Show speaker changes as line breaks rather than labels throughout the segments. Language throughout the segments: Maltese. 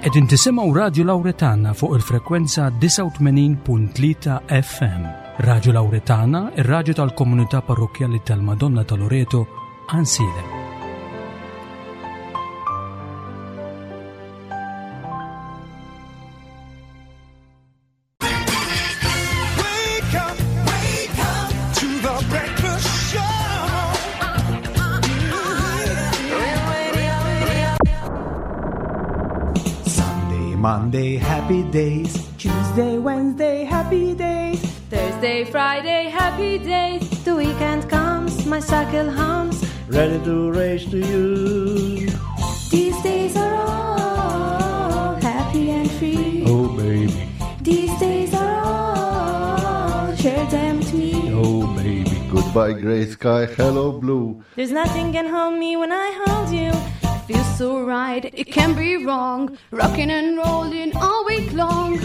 Qegħdin tisimgħu Radju Lawretana fuq il-frekwenza 89.3 FM. Radju Lawretana, ir-radju tal-komunità parrokkjali tal-Madonna ta' Loreto, Għansielem.
Sunday, Monday, happy days.
Tuesday, Wednesday, happy days.
Thursday, Friday, happy days.
The weekend comes, my cycle hums.
Ready to race to you.
These days are all happy and free.
Oh, baby.
These days are all, share them with me.
Oh, baby.
Goodbye, gray sky. Hello, blue.
There's nothing can hold me when I hold you.
It feels so right, it can't be wrong. Rocking and rolling all week long.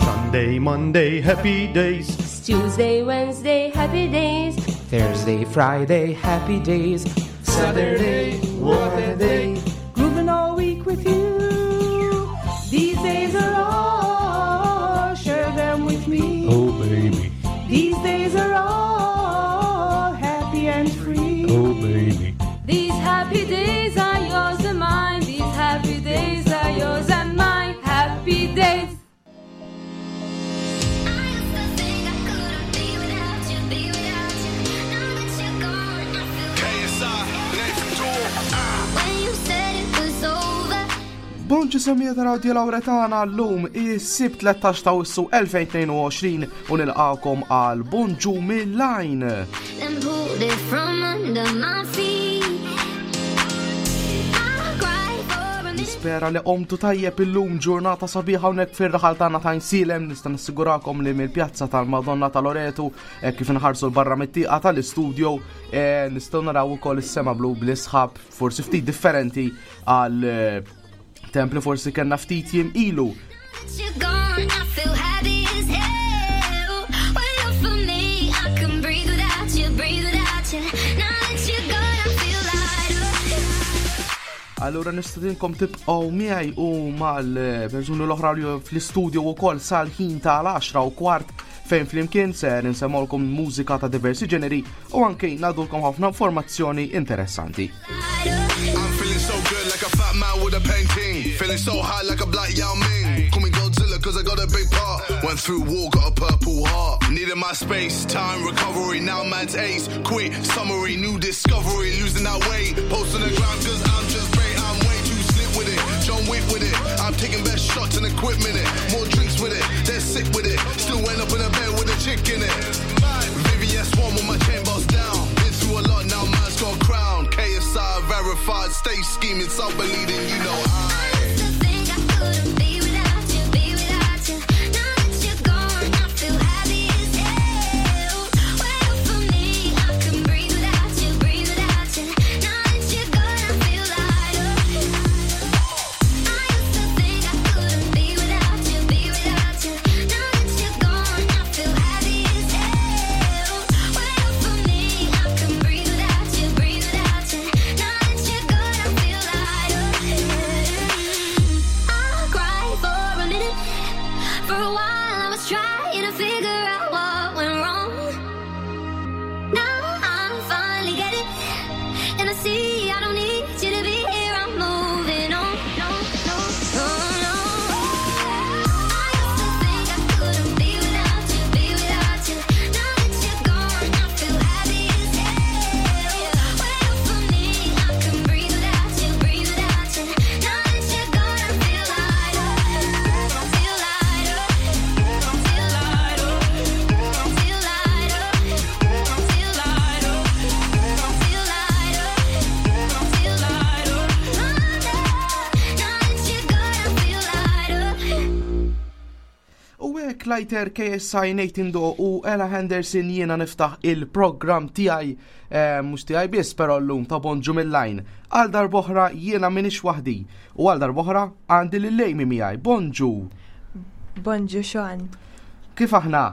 Sunday, Monday, happy days.
Tuesday, Wednesday, happy days.
Thursday, Friday, happy days.
Saturday, what a day.
Grooving all week with you. These days are all, share them with me.
Oh, baby.
These days are all happy and free.
Oh, baby.
These happy days are yours and mine. These happy days are yours and mine. Happy days.
Bonġu semija ta' Radio Lauretana l-lum is-sibt 13 ta' Awwissu 2022 u nilqakom għal Bonġu mill-lajn.
Then pulled it from under my feet. I cried for a minute.
Nispera li qomtu tajjeb illum ġurnata sabiħa hawnhekk fir-raħal tagħna ta' Insilem nista' nassigurakom li mill-pjazza tal-Madonna ta' Loretu eh, kif inħarsu l-barra mit-tieqa tal-istudio eh, nistgħu naraw ukoll is-sema blu bl-isħab forsi ftit differenti għal eh, temp li forsi kellna ftit jiem ilu.
That you're gone, I feel happy as hell. When you're for me, I can breathe without you, breathe without you. Now that you're gone, I feel lighter.
Allura nistedinkom tibqgħu miegħi u mal-persuni l-oħra li fl-istudio wkoll sal-ħin tal-10 u kwart fejn flimkien ser insemmolkom mużika ta' diversi ġeneri u anke ngħadulkom ħafna informazzjoni interessanti.
I'm feeling so good like a fat man with a painting. Feeling so high like a black Yao Ming. Call me Godzilla cause I got a big part. Went through war, got a purple heart. Needed my space, time, recovery. Now man's ace. Quick summary, new discovery. Losing that weight. Post on the ground cause I'm just great. I'm way too slick with it. John Wick with it. I'm taking best shots and equipment it. More drinks with it. They're sick with it. Still end up in a bed with a chick in it. VVS one with my chain boss down. Been through a lot now, man's got a crown. KSI verified, stay scheming, self believing, you know I.
Used to think I couldn't be without you, be without you. Now that you're gone, I feel happy as hell. When you're for me, I can breathe without you, breathe without you. Now that you're gone, I feel lighter. I used to think I couldn't be without you, be without you. Now that you're gone, I feel happy as hell. When you're for me, I can breathe without you, breathe without you. Now that you're gone, I feel lighter. I cried for a minute. For a while, I was trying to figure out what went wrong. Now I finally get it, and I see I don't need you to be here. I'm moving on. No, no, no, no. I used to think I couldn't be without you, be without you. Now that you're gone, I feel happy as hell. When you're for me, I can breathe without you, breathe without you. Now that you're gone, I feel lighter, feel lighter, feel lighter, feel lighter, feel lighter, feel lighter, feel lighter. Now that you're gone, I feel lighter.
U hekk Lighter KSI Nathan Do u Ella Henderson jiena niftaħ il-programm tiegħi eh, mhux tiegħi biss però llum ta' Bonġu mill-lajn. Għal darb'oħra jiena m'iniex waħdi u għal darb'oħra għandi lil Amy miegħi. Bonġu,
Bonġu Sean.
kif aħna?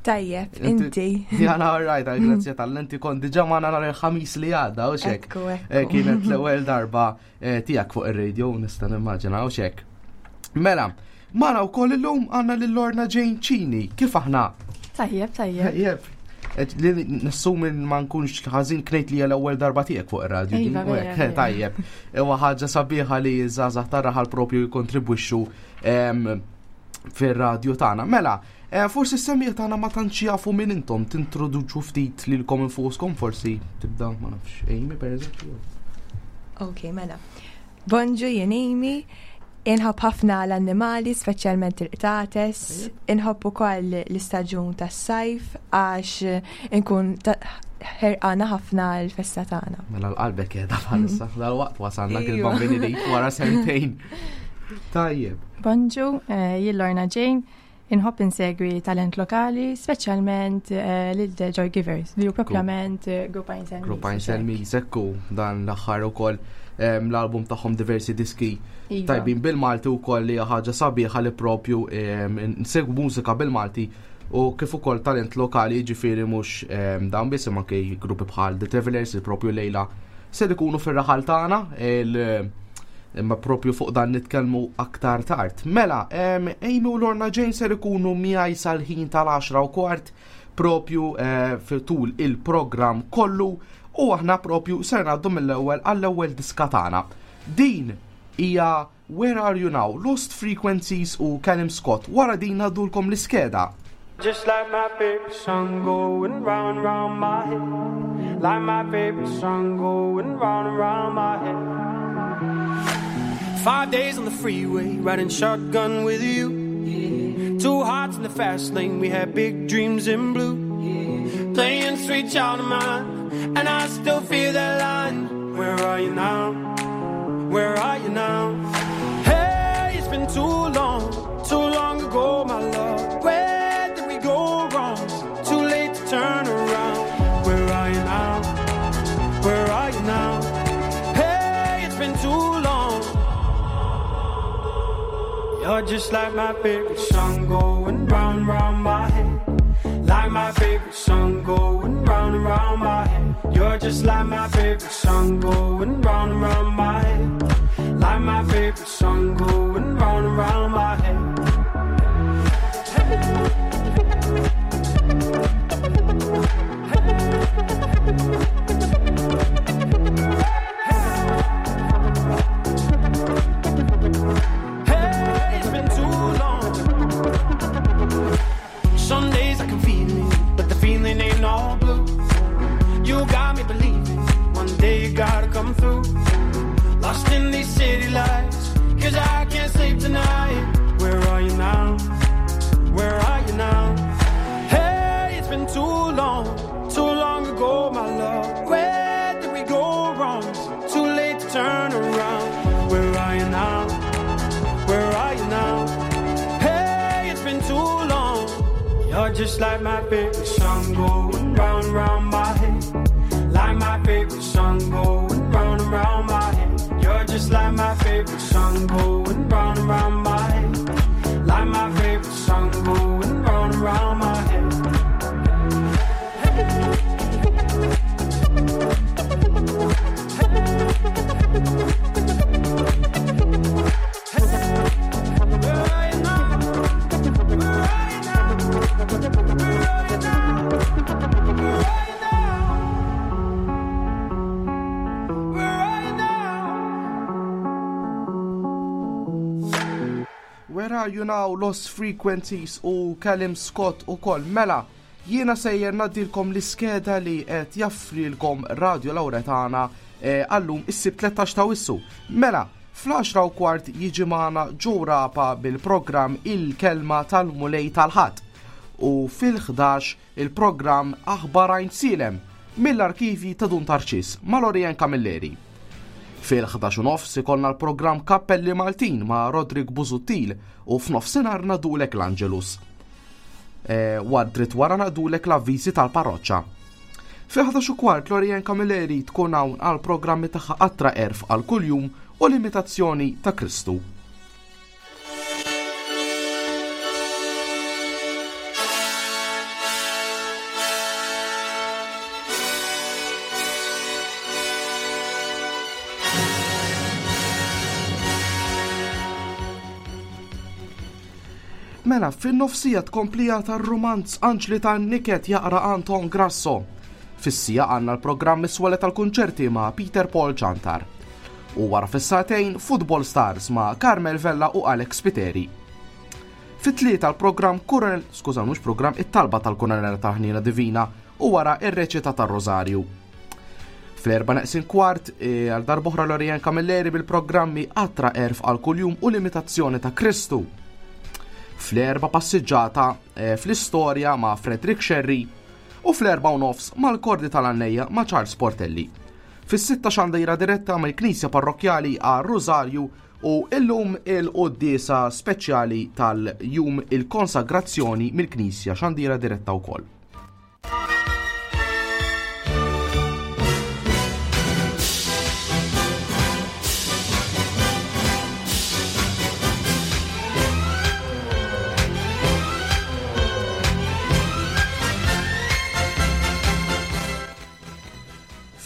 Tajjeb, inti.
Jana rajt, grazzi tal-inti kont diġa ma nhar il-ħamis li għadda, u xek. Eh, kienet l-ewwel darba eh, tiegħek fuq ir-radio, nista' nimmaġina, u xek. Mela, mara wkoll illum għandna lil Lorna Jane Cini, kif aħna?
Tajjeb, tajjeb.
Tajjeb. Li nassumi ma nkunx ħażin knejt li l-ewwel darba tiegħek fuq ir-radio.
Iva,
tajjeb. Huwa ħaġa sabiħa li żgħażagħ tar-raħal propju jikkontribwixxu fir-radio tagħna. Mela, eh, forsi s-semmiegħ tagħna ma tantx jafu min intom tintroduċu ftit lilkom infuskom forsi tibda ma nafx Amy pereżempju.
Ok, mela. Bonġu jien Amy, inħobb ħafna l-annimali, speċjalment il-qtates, inħobb ukoll l-istaġun tas-sajf għax inkun ħerqana ħafna l-festa tagħna.
Mela l-qalbek qiegħda bħalissa, dal-waqt wasalna il-bambini li wara sentejn. Tajjeb.
Bonġu, eh, jien Lorna Jane, inħobb insegwi talent lokali, speċjalment eh, lil The Joy Givers, li hu propjament eh, Grupp Einstein.
Grupp Einstein Ekku, dan l-aħħar ukoll ehm, l-album tagħhom diversi diski iva. tajbin bil-Malti wkoll li ħaġa sabiħa li propju ehm, nsegwu mużika bil-Malti u kif ukoll talent lokali ġifieri mhux ehm, dan biss imma anke gruppi bħal The Travelers li propju lejla se ikunu fir-raħal tagħna imma propju fuq dan nitkellmu aktar tard. Mela, Amy u Lorna Jane ser ikunu miegħi sal-ħin tal-10 u kwart propju eh, tul il-programm kollu u aħna propju ser ngħaddu mill-ewwel għall-ewwel diska tagħna. Din hija Where Are You Now, Lost Frequencies u Callum Scott. Wara din ngħaddulkom l-iskeda.
Just like my favorite song going round round my head. Like my favorite song going round and round my head. Five days on the freeway, riding shotgun with you. Yeah. Two hearts in the fast lane, we had big dreams in blue. Yeah. Playing sweet child of mine, and I still feel that line. Where are you now? Where are you now? Hey, it's been too long, too long ago, my love. Where did we go wrong? Too late to turn around. Where are you now? Where are you now? Hey, it's been too long. You're just like my favorite song going round, round my head. Like my favorite song going round and round my head. You're just like my favorite song going round and round my head. Like my favorite song going round and round my head. Hey, it's been too long. Some days I can feel it, but the feeling ain't all blue. You got me believing, one day you gotta come through. Lost in these city lights, cause I can't sleep tonight. Where are you now? Where are you now? Hey, it's been too long, too long ago, my love. Where did we go wrong? Too late to turn around. Where are you now? Where are you now? Hey, it's been too long. You're just like my favorite song going round, round my head. Like my favorite song going round and round my head. You're just like my favorite song going round and round my head. Like my favorite song going round and round my head.
Where Are You Now, Lost Frequencies u Callum Scott u kol. Mela, jiena sejjer naddilkom l-iskeda li qed jaffrilkom Radio Lauretana eh, għallum is-sibt 13 ta' wissu. Mela, fl-10 u kwart jiġi magħna Joe Rapa bil-programm Il-Kelma tal-Mulej tal-Ħadd u fil-11 il-programm Aħbar Għajnsielem mill-arkivji ta' Dun Tarċis ma' Lorian Camilleri. Fil-11 u nofs ikollna l-programm Kappelli Maltin ma' Roderick Busuttil u f'nofsinhar nadulek l-Angelus. E, dritt wara nadulek l-avviżi tal-parroċċa. Fil-11 u kwart Lorian Camilleri tkun hawn għal programmi tagħha Qatra Għerf għal kuljum u l-imitazzjoni ta' Kristu. Mela, fin-nofsija tkomplija tar-rumanz Anġli tan-Niket jaqra Anton Grasso. Fis-sija għandna l-programm Is-Swale tal-Kunċerti ma' Peter Paul Ciantar. U wara fis-sagħtejn Football Stars ma' Carmel Vella u Alex Spiteri. Fit-tlieta l-programm Kuronel, skuża mhux programm, it-talba tal-Kuronel tal-Ħniena Divina u wara ir-reċita tar-Rożarju. Fl-erba neqsin kwart, e, għal darboħra Lorian Camilleri bil-programmi Qatra Erf għal kuljum u l-imitazzjoni ta' Kristu. Fl-erba passiġġata e, fl-istorja ma' Frederick Sherry u fl-erba u nofs mal-kordi tal-għannejja ma' Charles Portelli. Fis-sitta xandira diretta mill-Knisja Parrokkjali għal Rosario u illum il-quddiesa speċjali tal-jum il-konsagrazzjoni mill-Knisja xandira diretta wkoll.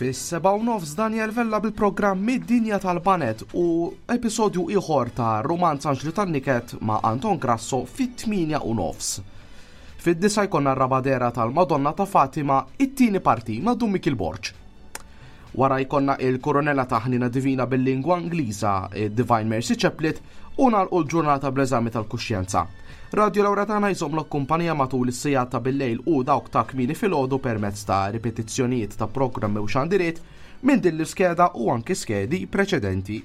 Fis-7 u nofs Daniel Vella bil-programm Mid-Dinja tal-Banet u episodju ieħor ta' Romanz Anġlu tan-Niket ma' Anton Grasso fit-8 u nofs. Fid-disa jkollna r-raba' dehra tal-Madonna ta' Fatima, it-tieni parti ma' Dun Mikiel Borg. Wara jkollna il-Koronella ta' Ħnina Divina bil-lingwa Ingliża, Divine Mercy Chaplet, u nagħlqu l-ġurnata bl-eżami tal-kuxjenza. Radio Lauretana jżommlok kumpanija matul is-sigħat ta' bil-lejl u dawk ta' kmieni filgħodu permezz ta' ripetizzjonijiet ta' programmi u xandiriet minn din l-iskeda u anki skedi preċedenti.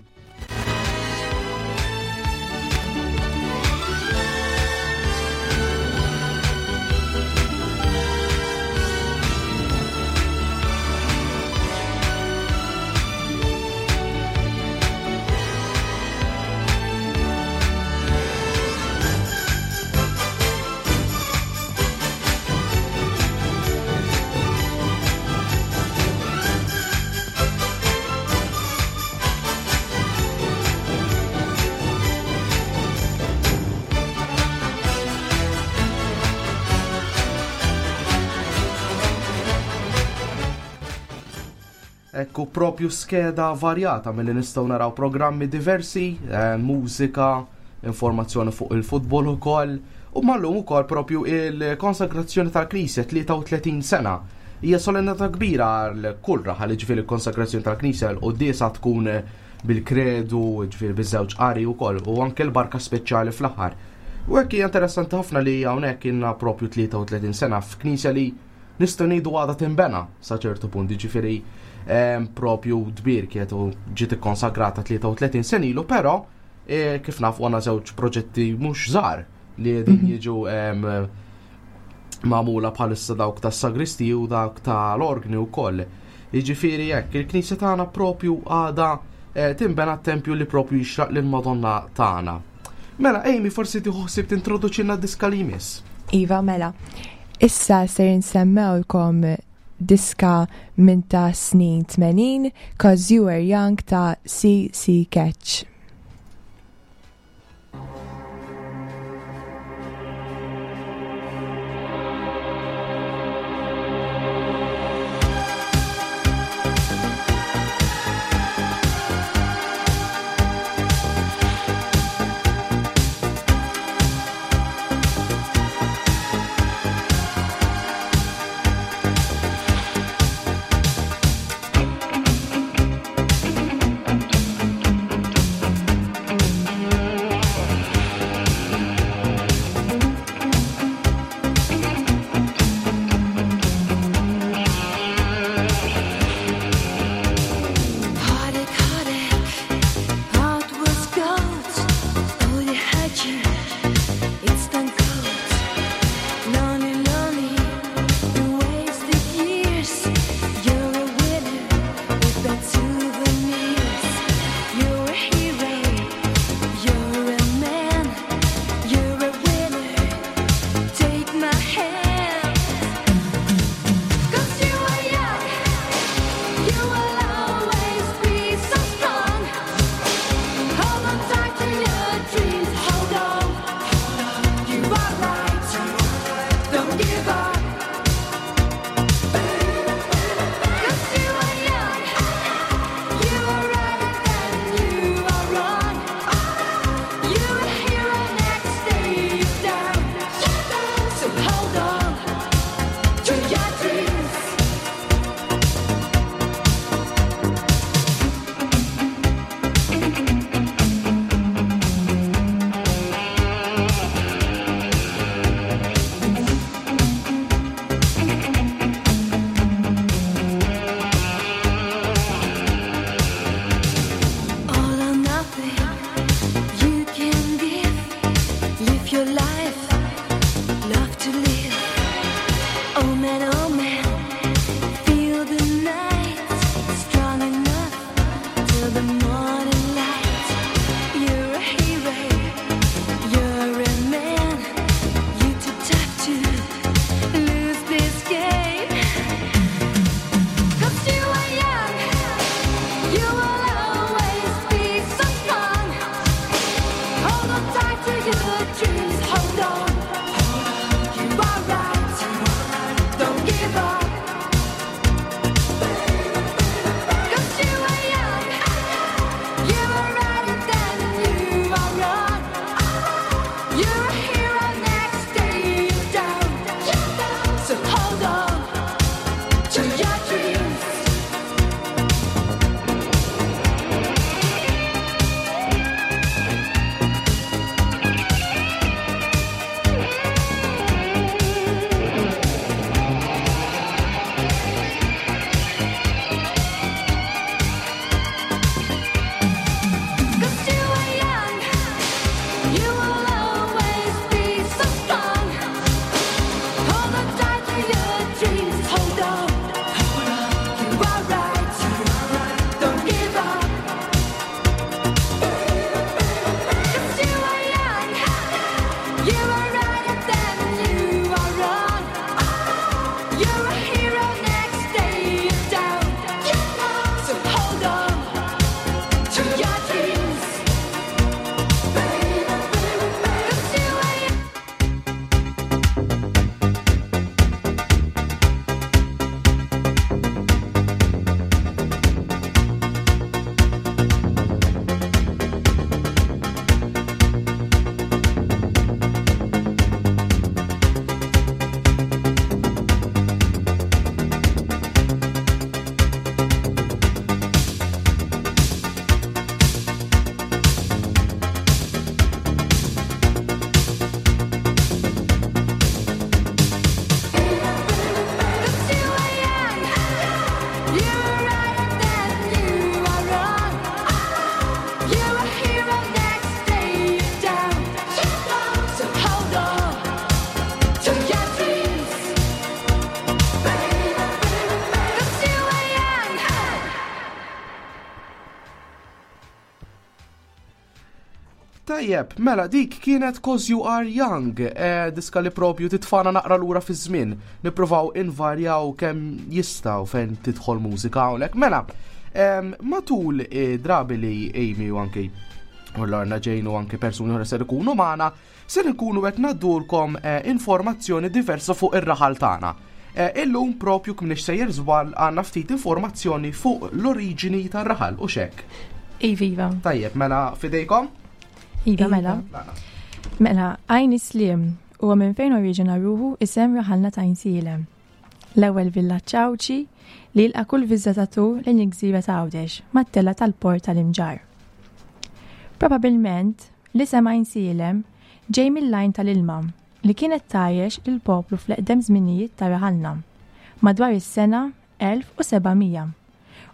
Ekku propju skeda varjata milli nistgħu naraw programmi diversi, eh, mużika, informazzjoni fuq il-futbol ukoll, u mallum ukoll propju il-konsagrazzjoni tal-Knisja 33 sena. Hija solennità kbira għal kull raħal, ġifieri l-konsagrazzjoni tal-Knisja l-quddiesa tkun bil-kredu, ġifieri biż-żewġ qari wkoll u anke l-barka speċjali fl-aħħar. U hekk hija interessanti ħafna li hawnhekk inna propju 33 sena f'knisja li nistgħu ngħidu għadha tinbena sa ċertu punt, ġifieri ehm, propju tbierket u ġiet ikkonsagrata 33 sen ilu, però eh, kif nafu għandna żewġ proġetti mhux żgħar li qegħdin mhm. jiġu ehm, magħmula bħalissa dawk tas-sagristi u dawk tal-orgni wkoll. Jiġifieri hekk, il-Knisja tagħna propju għadha eh, tinbena t-tempju li propju jixraq lill-Madonna tagħna. Mela, Amy, forsi tieħu ħsieb tintroduċilna diska li jmiss.
Iva, mela. Issa ser insemmewlkom diska minn ta' snin 80, Cause You Were Young ta' CC Catch.
Live your life, love to live. Oh man, oh man, feel the night strong enough till the morning light. You're a hero, you're a man. You're too tough to lose this game. 'Cause you are young, you will always be so strong. Hold on tight to your dreams, hold on. You are right, don't give up. 'Cause you are young, you are right and then you are wrong. You're a hero next day you're down. So hold on to your dreams. 'Cause you are young, you will always be so strong. Hold on tight to your dreams, hold on. You are right, don't give up. 'Cause you are young, you are right and then you are wrong. You're a hero next day you're down. So hold on to your dreams. 'Cause you are young. 'Cause you are young, you are right and then you are wrong. You're a hero next day you're down. So hold on to your dreams. 'Cause you are young.
Tajjeb, mela dik kienet Cause You Are Young, eh, diska li propju titfana naqra lura fi żmien. Nippruvaw invarjaw kemm jistgħu fejn tidħol mużika hawnhekk. Mela, em, matul eh, drabi li Amy u anki u Lorna Jane u anki persuni oħra ser ikunu magħna, ser ikunu qed ngħaddulkom eh, informazzjoni diversa fuq ir-raħal tagħna. Eh, Illum propju kif sejjer żball għandna ftit informazzjoni fuq l-oriġini tar-raħal u xek.
Iva, iva.
Tajjeb, mela fidejkom?
Iva, mela. Mela, għajn islim huwa minn fejn oriġina ruħu isem raħalna ta' Għajnsielem. L-ewwel villaġġ Għawdxi li jilqa' kull viżitatur lejn il-gżira ta' Għawdex mat-tela tal-port tal-Imġarr. Probabilment, l-isem Għajnsielem ġej mill-għajn tal-ilma li kienet tgħajjex lill-poplu fl-eqdem żminijiet ta' raħalna, madwar is-sena 1700,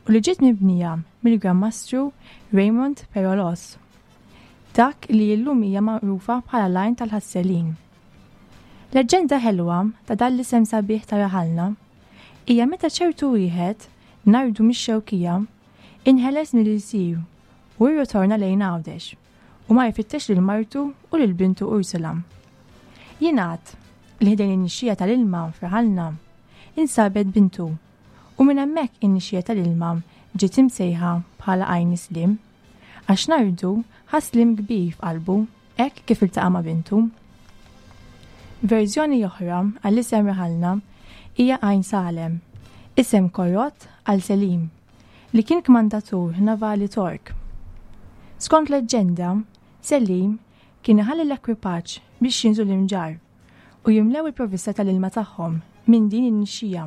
u li ġiet mibnija mill-Gran Mastru Raymond Perolos. Dak li illum hija magħrufa bħala l-għajn tal-ħasselin. Leġġenda ħelwa ta' dan l-isem sabiħ ta' raħalna hija meta ċertu wieħed, Nardu mix-Xewkija, inħeles mill-ilsir u rritorna lejn Għawdex u mar ifittex lil martu u lil bintu Ursula. Jingħad li ħdejn in-nixxija tal-ilma f'raħalna insabet bintu u minn hemmhekk in-nixxija tal-ilma ġiet imsejħa bħala Għajn Islim għax Nardu ħass sliem kbir f'qalbu hekk kif iltaqa' ma' bintu. Verżjoni oħra għall-isem raħalna hija Għajn Salem, isem korrott għal Selim, li kien kmandatur navali Tork. Skont leġġenda, Selim kien iħalli l-ekwipaġġ biex jinżlu l-Imġarr u jimlew il-provvista tal-ilma tagħhom minn din in-nixxija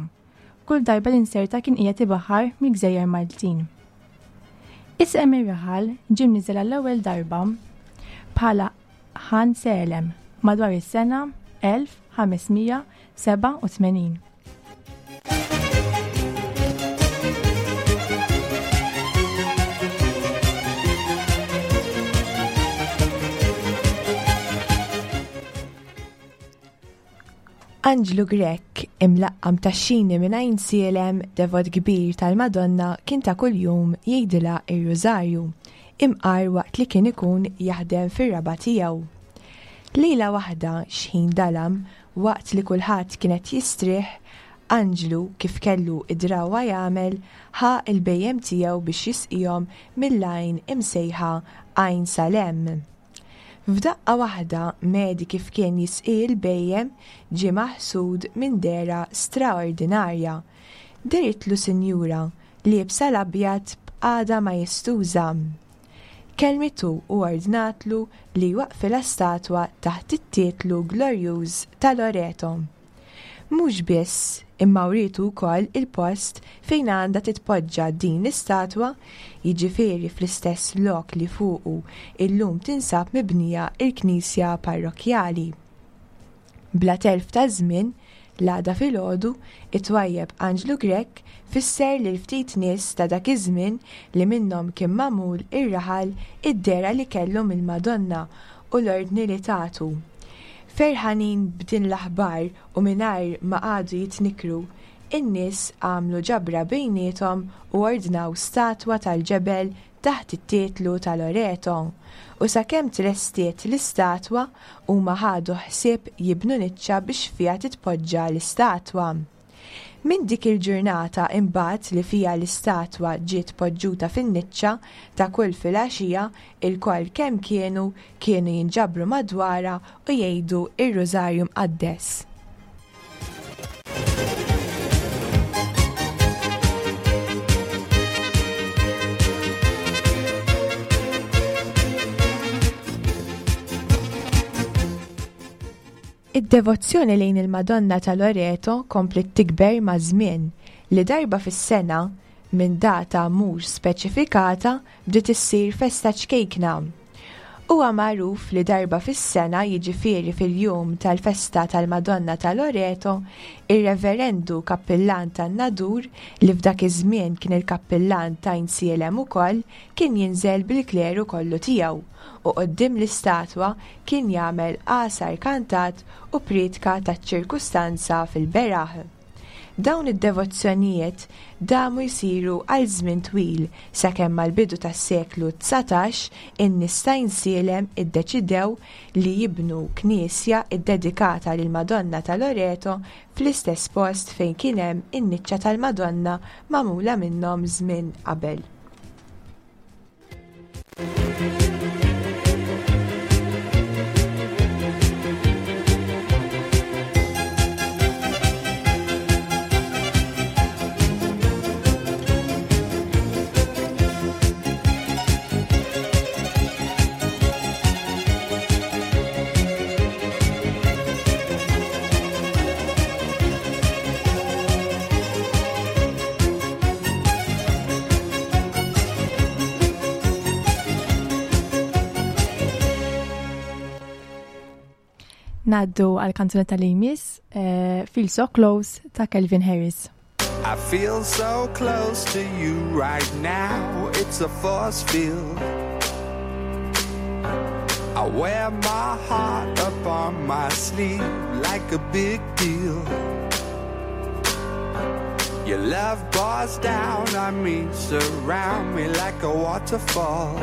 kull darba li nserta kien qiegħed ibaħħar mill-gżejjer Maltin. Isem ir-raħal ġie mniżżel għall-ewwel darba bħala Ħan Selem madwar is-sena 1587.
Anġlu Grech, imlaqqam tax-xini minn Għajnsielem, devot kbir tal-Madonna kien ta' kuljum jgħidilha r-Rużarju, imqar waqt li kien ikun jaħdem fir-raba' tiegħu. Lejla waħda, x'ħin dalam, waqt li kulħadd kien qed jistrieħ, Anġlu, kif kellu d-drawwa jagħmel, ħa l-bhejjem tiegħu biex jisqihom mill-għajn imsejħa Għajn Salem. F'daqqa waħda, Mehdi kif kien jisqi l-bhejjem ġie maħsud minn dehra straordinarja. Dehritlu sinjura, liebsa l-abjad b'qagħda majestuża. Kellmitu u ordnatlu li jwaqqfilha statwa taħt it-titlu glorjuż ta' Loreto. Mhux biss, imma wrietu wkoll il-post fejn għandha titpoġġa din l-istatwa, jiġifieri fl-istess lok li fuqu illum tinsab mibnija l-knisja parrokkjali. Bla telf ta' żmien, l-għada filgħodu, it-twajjeb Anġlu Grech fisser lil ftit nies ta' dak iż-żmien li minnhom kien magħmul ir-raħal id-dehra li kellu mill-Madonna u l-ordni li tatu. Ferħanin b'din l-aħbar u mingħajr ma qagħdu jitnikkru, in-nies għamlu ġabra bejniethom u ordnaw statwa tal-ġebel taħt it-titlu ta' Loreto, u sakemm tlestiet l-istatwa huma ħadu ħsieb jibnu niċċa biex fiha titpoġġa l-istatwa. Minn dik il-ġurnata imbagħad li fiha l-istatwa ġiet poġġuta fin-niċċa, ta' kull filgħaxija, ilkoll kemm kienu, kienu jinġabru madwarha u jgħidu r-Rużarju Mqaddes. Id-devozzjoni lejn il-Madonna ta' Loreto kompliet tikber maż-żmien, li darba fis-sena, minn data mhux speċifikata, bdiet issir festa ċkejkna. Huwa magħruf li darba fis-sena, jiġifieri fil-jum tal-festa tal-Madonna ta' Loreto, ir-Reverendu Kappillan tan-Nadur, li f'dak iż-żmien kien il-Kappillan t'Għajnsielem ukoll, kien jinżel bil-kleru kollu tiegħu u quddiem l-istatwa kien jagħmel għasar kantat u prietka taċ-ċirkustanza fil-beraħ. Dawn id-devozzjonijiet damu jsiru għal żmien twil sakemm mal-bidu tas-seklu 19 in-nies t'Għajnsielem iddeċidew li jibnu knisja ddedikata lill-Madonna ta' Loreto fl-istess post fejn kien hemm in-niċċa tal-Madonna magħmula minnhom żmien qabel.
Naddu għal kanzunetta li jmiss eh, Feel So Close ta' Calvin Harris.
I feel so close to you right now, it's a force field. I wear my heart up on my sleeve like a big deal. Your love pours down on me, surround me like a waterfall.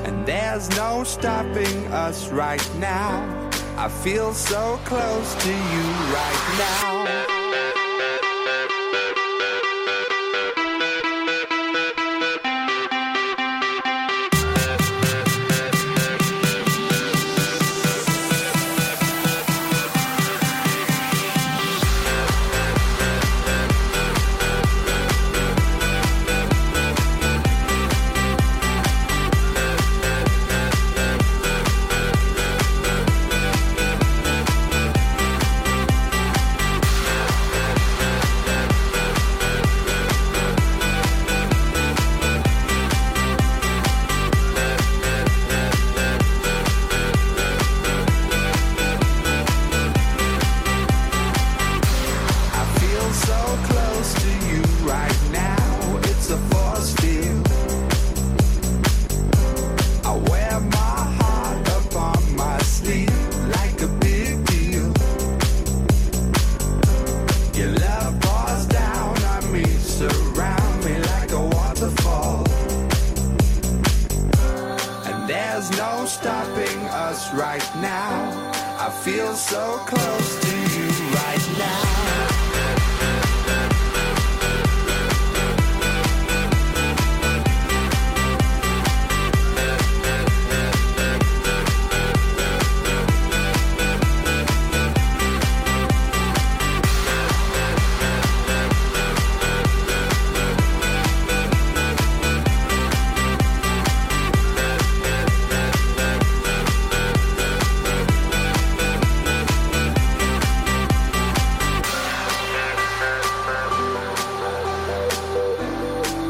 And there's no stopping us right now. I feel so close to you right now. right now. I feel so close to you right now.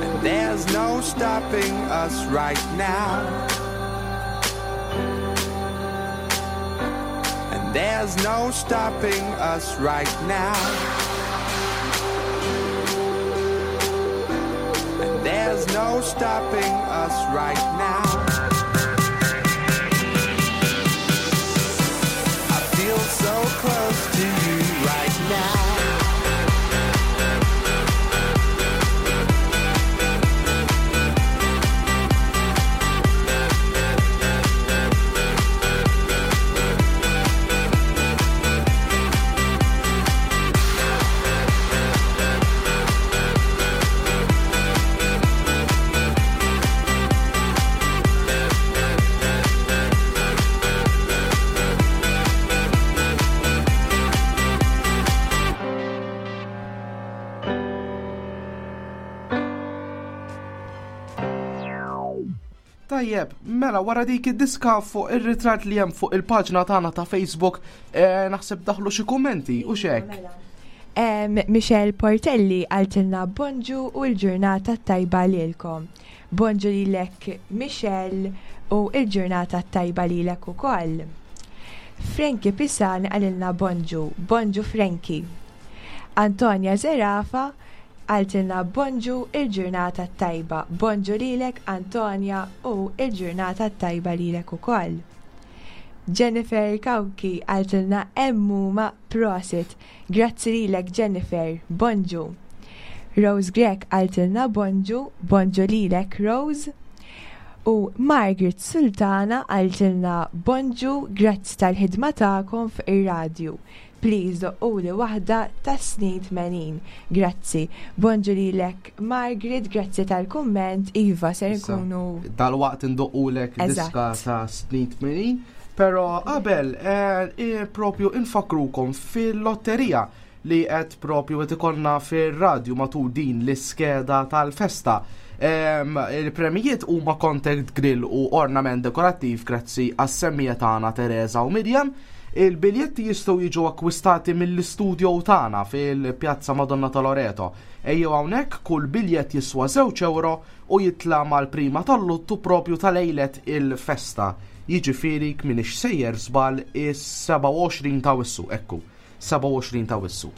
And there's no stopping us right now. And there's no stopping us right now. And there's no stopping us right now. I feel so close to you right now.
Tajjeb, mela wara dik id-diska fuq ir-ritratt li hemm fuq il-paġna tagħna ta' Facebook, eh, naħseb daħlu xi kummenti u xek.
Mela. Michelle Portelli għaltilna bonġu u l-ġurnata tajba lilkom. Bonġu lilek Michelle u l-ġurnata tajba lilek ukoll. Frankie Pisan għalilna bonġu, bonġu Frankie. Antonia Zerafa għaltilna bonġu il-ġurnata tajba. Bonġu lilek Antonia u il-ġurnata tajba lilek ukoll. Jennifer Kawki għaltilna emmuma prosit. Grazzi lilek Jennifer, bonġu. Rose Grek għaltilna bonġu, bonġu lilek Rose. U Margaret Sultana għaltilna bonġu, grazzi tal-ħidma tagħkom fuq ir-radju. Please doqquli waħda ta' snin 80. Grazzi. Bonġu lilek Margaret, grazzi tal-kumment. Iva, ser nkunu.
Dal-waqt indoqqulek diska ta' snin 80. Pero qabel, eh, propju infakrukom fil-lotterija li qed propju qed ikollna fir-radju matul din l-iskeda tal-festa. Il-premijiet huma contact grill u ornament dekorattiv grazzi għas-semmija tagħna Teresa u Miriam. Il-biljetti jistgħu jiġu akkwistati mill-istudio tagħna fil-Pjazza Madonna ta' Loreto. Ejjew hawnhekk kull biljett jiswa 2 euro u jitla' mal-prima tal-luttu propju ta' lejlet il-festa. Jiġifieri kminix sejjer żball is-27 ta' Wissu, ekku. 27 ta' Wissu.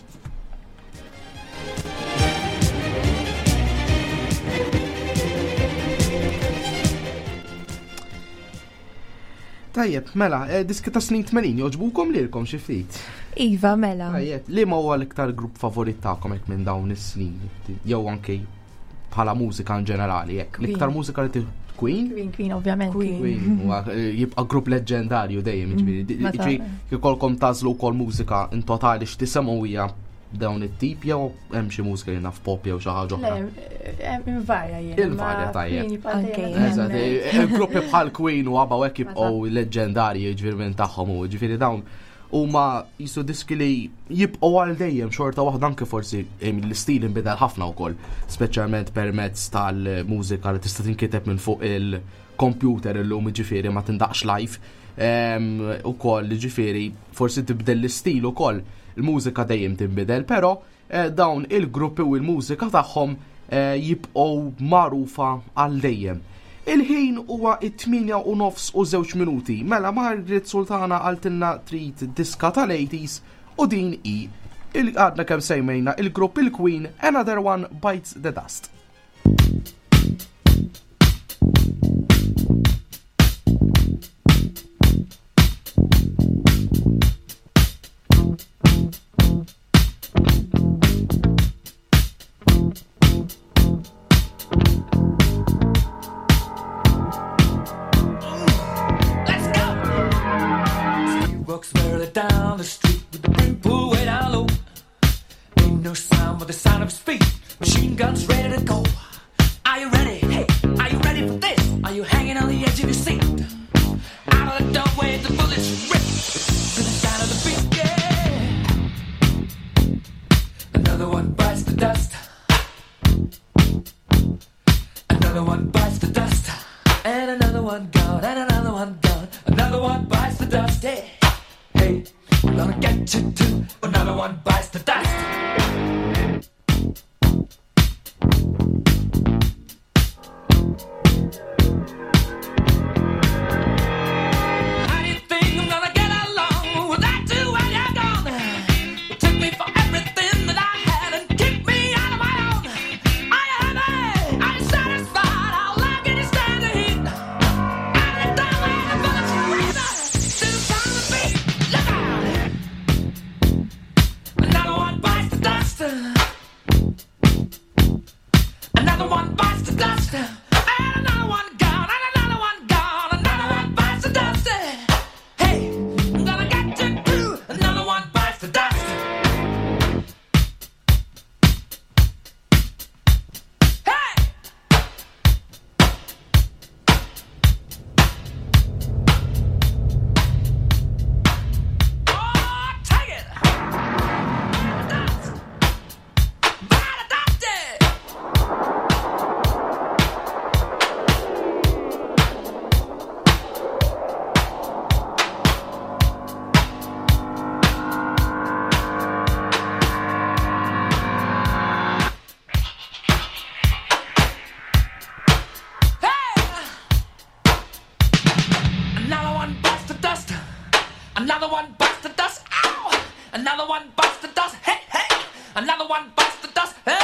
Tajjeb, mela, eh, diski ta' snin 80 joġbukom lilkom xi ftit.
Iva, mela.
Tajjeb, li ma huwa l-iktar grupp favorit tagħkom hekk minn dawn is-snin jew anke bħala mużika in ġenerali hekk. L-iktar mużika li Queen?
Queen, Queen, ovvjament.
Queen, eh, jibqa' grupp leġġendarju dejjem, mm, ġifieri. Ġifieri jkollkom tażlu wkoll mużika in totali x'tisemgħu hija dawn it-tip jew hemm xi mużika li naf pop jew xi ħaġa oħra.
Invarja jien.
Invarja tajjeb. Eh, gruppi bħal Queen u ABBA hekk jibqgħu leġġendarji ġifieri minn tagħhom u ġifieri dawn huma jisu diski li jibqgħu għal dejjem xorta waħda anke forsi l-istil inbidel ħafna wkoll, speċjalment permezz tal-mużika li tista' tinkiteb minn fuq il-computer illum ġifieri ma tindaqx live. Ukoll ġifieri forsi tibdel l-istil ukoll. Il-mużika dejjem tinbidel, però eh, dawn il-gruppi u l-mużika tagħhom eh, jibqgħu magħrufa għal dejjem. Il-ħin huwa it-8 u nofs u żewġ minuti. Mela Margaret Sultana għaltilna trid diska tal-80s u din hi il-għadna kemm sejmejna il-grupp il-Queen Another One Bites the Dust.
Let's go!
walks merrily down the street with the brim pulled way down low. Ain't no sound but the sound of his feet. Machine guns ready to go. Are you ready? Hey, are you ready for this? Are you hanging on the edge of your seat? Out of the doorway, the bullets rip to the sound of the beat. Yeah. Another one bites the dust. Another one bites the dust. And another one gone, and another one gone. Another one bites the dust. Hey, hey, we're gonna get you too. Another one bites the dust. How do you think I'm gonna get along without you when you're gone? You took me for everything that I had and kicked me out of my own. Are you happy? Are you satisfied? How long can you stand the heat? Out of the doorway, the bullets rip to the sound of the beat. Look out! Another one bites the dust. Another one bites the dust. And another one gone. And another one gone. Another one bites the dust. Hey, I'm gonna get you too. Another one bites the dust. Hey! Oh, take it! Dust! Bite the dust! Another one bites the dust. Another one bites the dust. Ow! Another one bites the dust. Hey, hey! Another one bites the dust. Hey!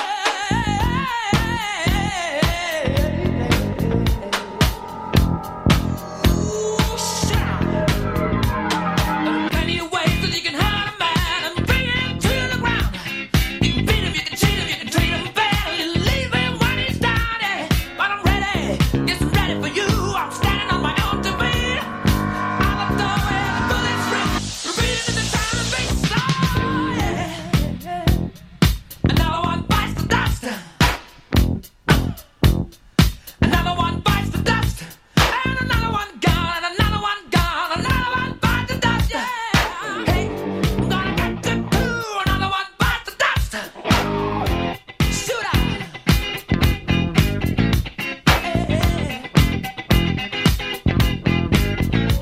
Ooh, shout. There are plenty of ways that you can hurt a man and bring him to the ground. You can beat him, you can cheat him, you can treat him bad, you leave him when he's down. Yeah. But I'm ready, yes, I'm ready for you. I'm standing on my own to beat. Out the doorway, the bullets rip, repeating to the sound of beat. Oh, yeah. Another one bites the dust. Another one bites the dust. And another one gone, and another one gone, another one bites the dust. Yeah. Hey, I'm gonna get you too. Another one bites the dust. Shoot out.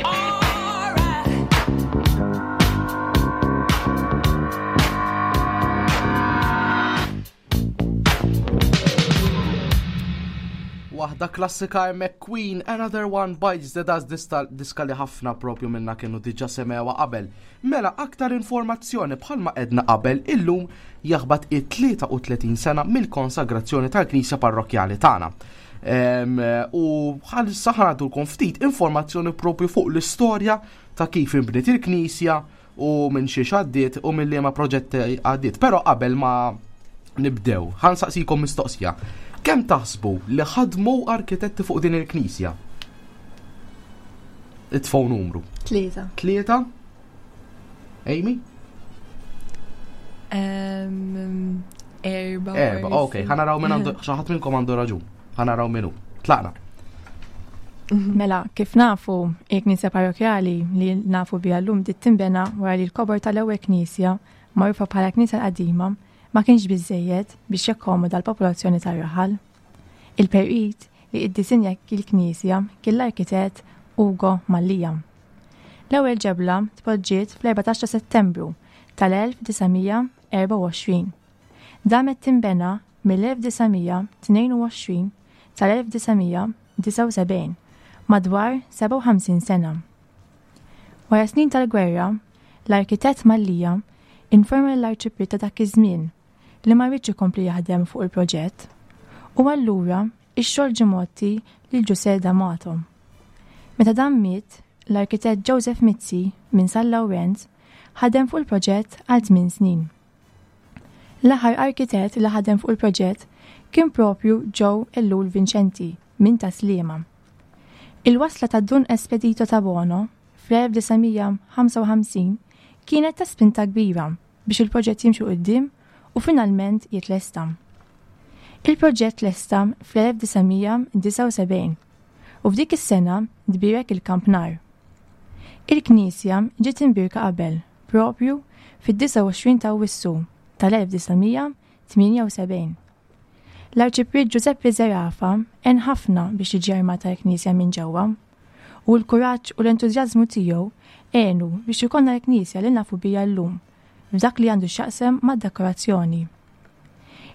All right.
Waħda klassika hemmhekk Queen, Another One Bites the Dust dista, diska li ħafna propju minna kienu diġà semewha qabel. Mela aktar informazzjoni bħalma edna qabel illum jaħbat it-33 sena mill-konsagrazzjoni tal-Knisja Parrokkjali tagħna. U bħalissa ħanadulkom ftit informazzjoni propju fuq l-istorja ta' kif inbniet il-Knisja u minn xiex għaddiet u minn liema proġetti għaddiet. Però qabel ma nibdew, ħansaqsikom mistoqsija. Kemm taħsbu li ħadmu arkitetti fuq din il-Knisja? Itfgħu numru.
Tlieta.
Tlieta? Amy?
Erba.
Erba, ok, ħanaraw minn għandu, xi ħadd minnkom għandu raġun. Ħanaraw minnu. Tlaqna.
Mela, kif nafu, il-knisja parrokjali li nafu biha llum bdiet tinbena wara li l-kobor tal-ewwel knisja, magħrufa bħala knisja l-qadima, ma kienx biżżejjed biex jakkomoda l-popolazzjoni tar-raħal. Il-perit li iddisinja il-knisja kien l-arkitett Ugo Mallia. L-ewwel ġebla tpoġġiet fl-14 ta' Settembru tal-1924. Damet tinbena mill-1922 sal-1979, madwar 57 sena. Wara snin tal-gwerra, l-arkitett Mallia informa lill-Arċipriet ta' dak iż-żmien li ma riedx ikompli jaħdem fuq il-proġett u allura x-xogħol ġie mgħotti lil Ġużè D'Amato. Meta dan miet, l-arkitett Joseph Mizzi minn San Lawrenz ħadem fuq il-proġett għal tmien snin. L-aħħar arkitett li ħadem fuq il-proġett kien propju Joe Ellul Vincenti minn Tas-Sliema. Il-wasla ta' Dun Espedito Tabono fl-1955 kienet ta' spinta kbira biex il-proġett jimxi quddiem u finalment jitlesta. Il-proġett tlesta fl-1979 u f'dik is-sena tbierek il-kampnar. Il-knisja ġiet imbierka qabel, proprju fid-29 ta' Awwissu tal-1978. L-Arċipriet Ġużeppi Zerafa għen ħafna biex tiġi armata l-knisja minn ġewwa, u l-kuraġġ u l-entużjażmu tiegħu għenu biex ikollna l-knisja li nafu biha llum f'dak li għandu x'jaqsam mad-dekorazzjoni.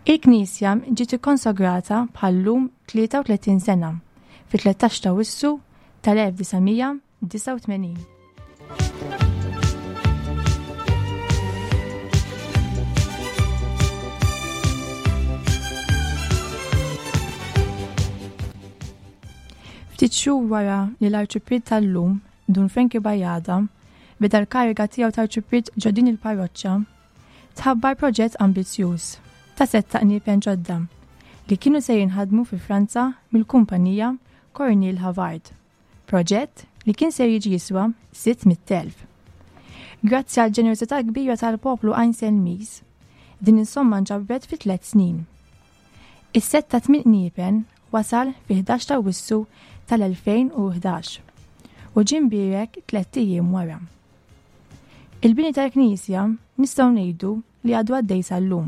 Il-knisja ġiet ikkonsagrata bħal-lum 33 sena, fit-13 ta' Awwissu tal-1989. Ftit xhur wara li l-Arċipriet tal-lum, Dun Frankie Bajada, beda l-kariga tiegħu ta' Arċipriet ġo din il-parroċċa, tħabbar proġett ambizzjuż ta' sett ta' qniepen ġodda li kienu se jinħadmu fi Franza mill-kumpanija Cornil Havard. Proġett li kien ser jiġi jiswa 600,000. Grazzi għal ġenerożità kbira tal-poplu Għajnselmiż, din is-somma nġabret fi tliet snin. Is-sett ta' tmien qniepen wasal fi 11 ta' Awwissu tal-2011 u ġie mbierek tlett ijiem wara. Il-bini tal-knisja nistgħu ngħidu li għadu għaddej sal-lum.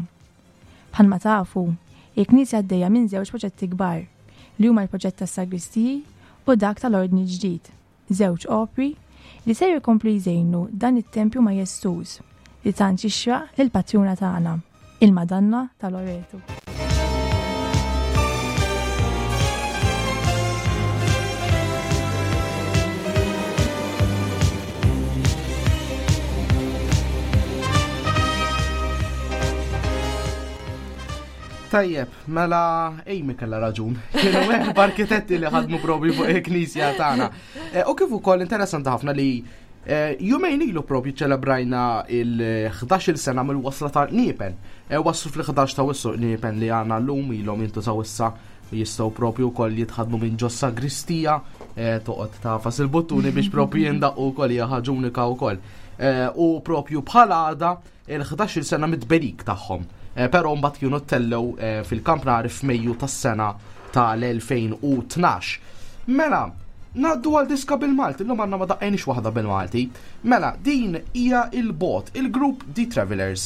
Bħalma tafu, il-Knisja għaddejja minn żewġ proġetti kbar, li huma l-proġett tas-sagristiji u dak tal-Ordni l-ġdid, żewġ opri li ser ikomplu jżejnu dan it-tempju majestuż li tant jixraq lill-patruna tagħna, il-Madonna ta' Loreto.
Tajjeb, mela Amy kella raġun. Kienu hemm arkitetti li ħadmu propju fuq il-knisja tagħna. Eh, u kif ukoll interessanti ħafna li eh, jumejn ilu propju ċelebrajna il-11 sena mill-wasla ta' Niepen. Eh, waslu fl-11 ta' wissu Niepen li għandna llum ilhom jintużaw issa jistgħu propju wkoll jitħadmu minn ġo sagristija eh, toqgħod tafas il-buttuni biex propju jindaqqu wkoll hija ħaġa unika wkoll. Eh, u propju bħala għada il-11 sena mit-tberik tagħhom. Eh, però mbagħad kienu tellew fil-kampnari f'Mejju tas-sena tal-2012. Mela, Naddu għal diska bil-Malti, l-lum għanna ma daqqajniex waħda bil-Malti. Mela, din hija il-bot, il-grupp The Travelers.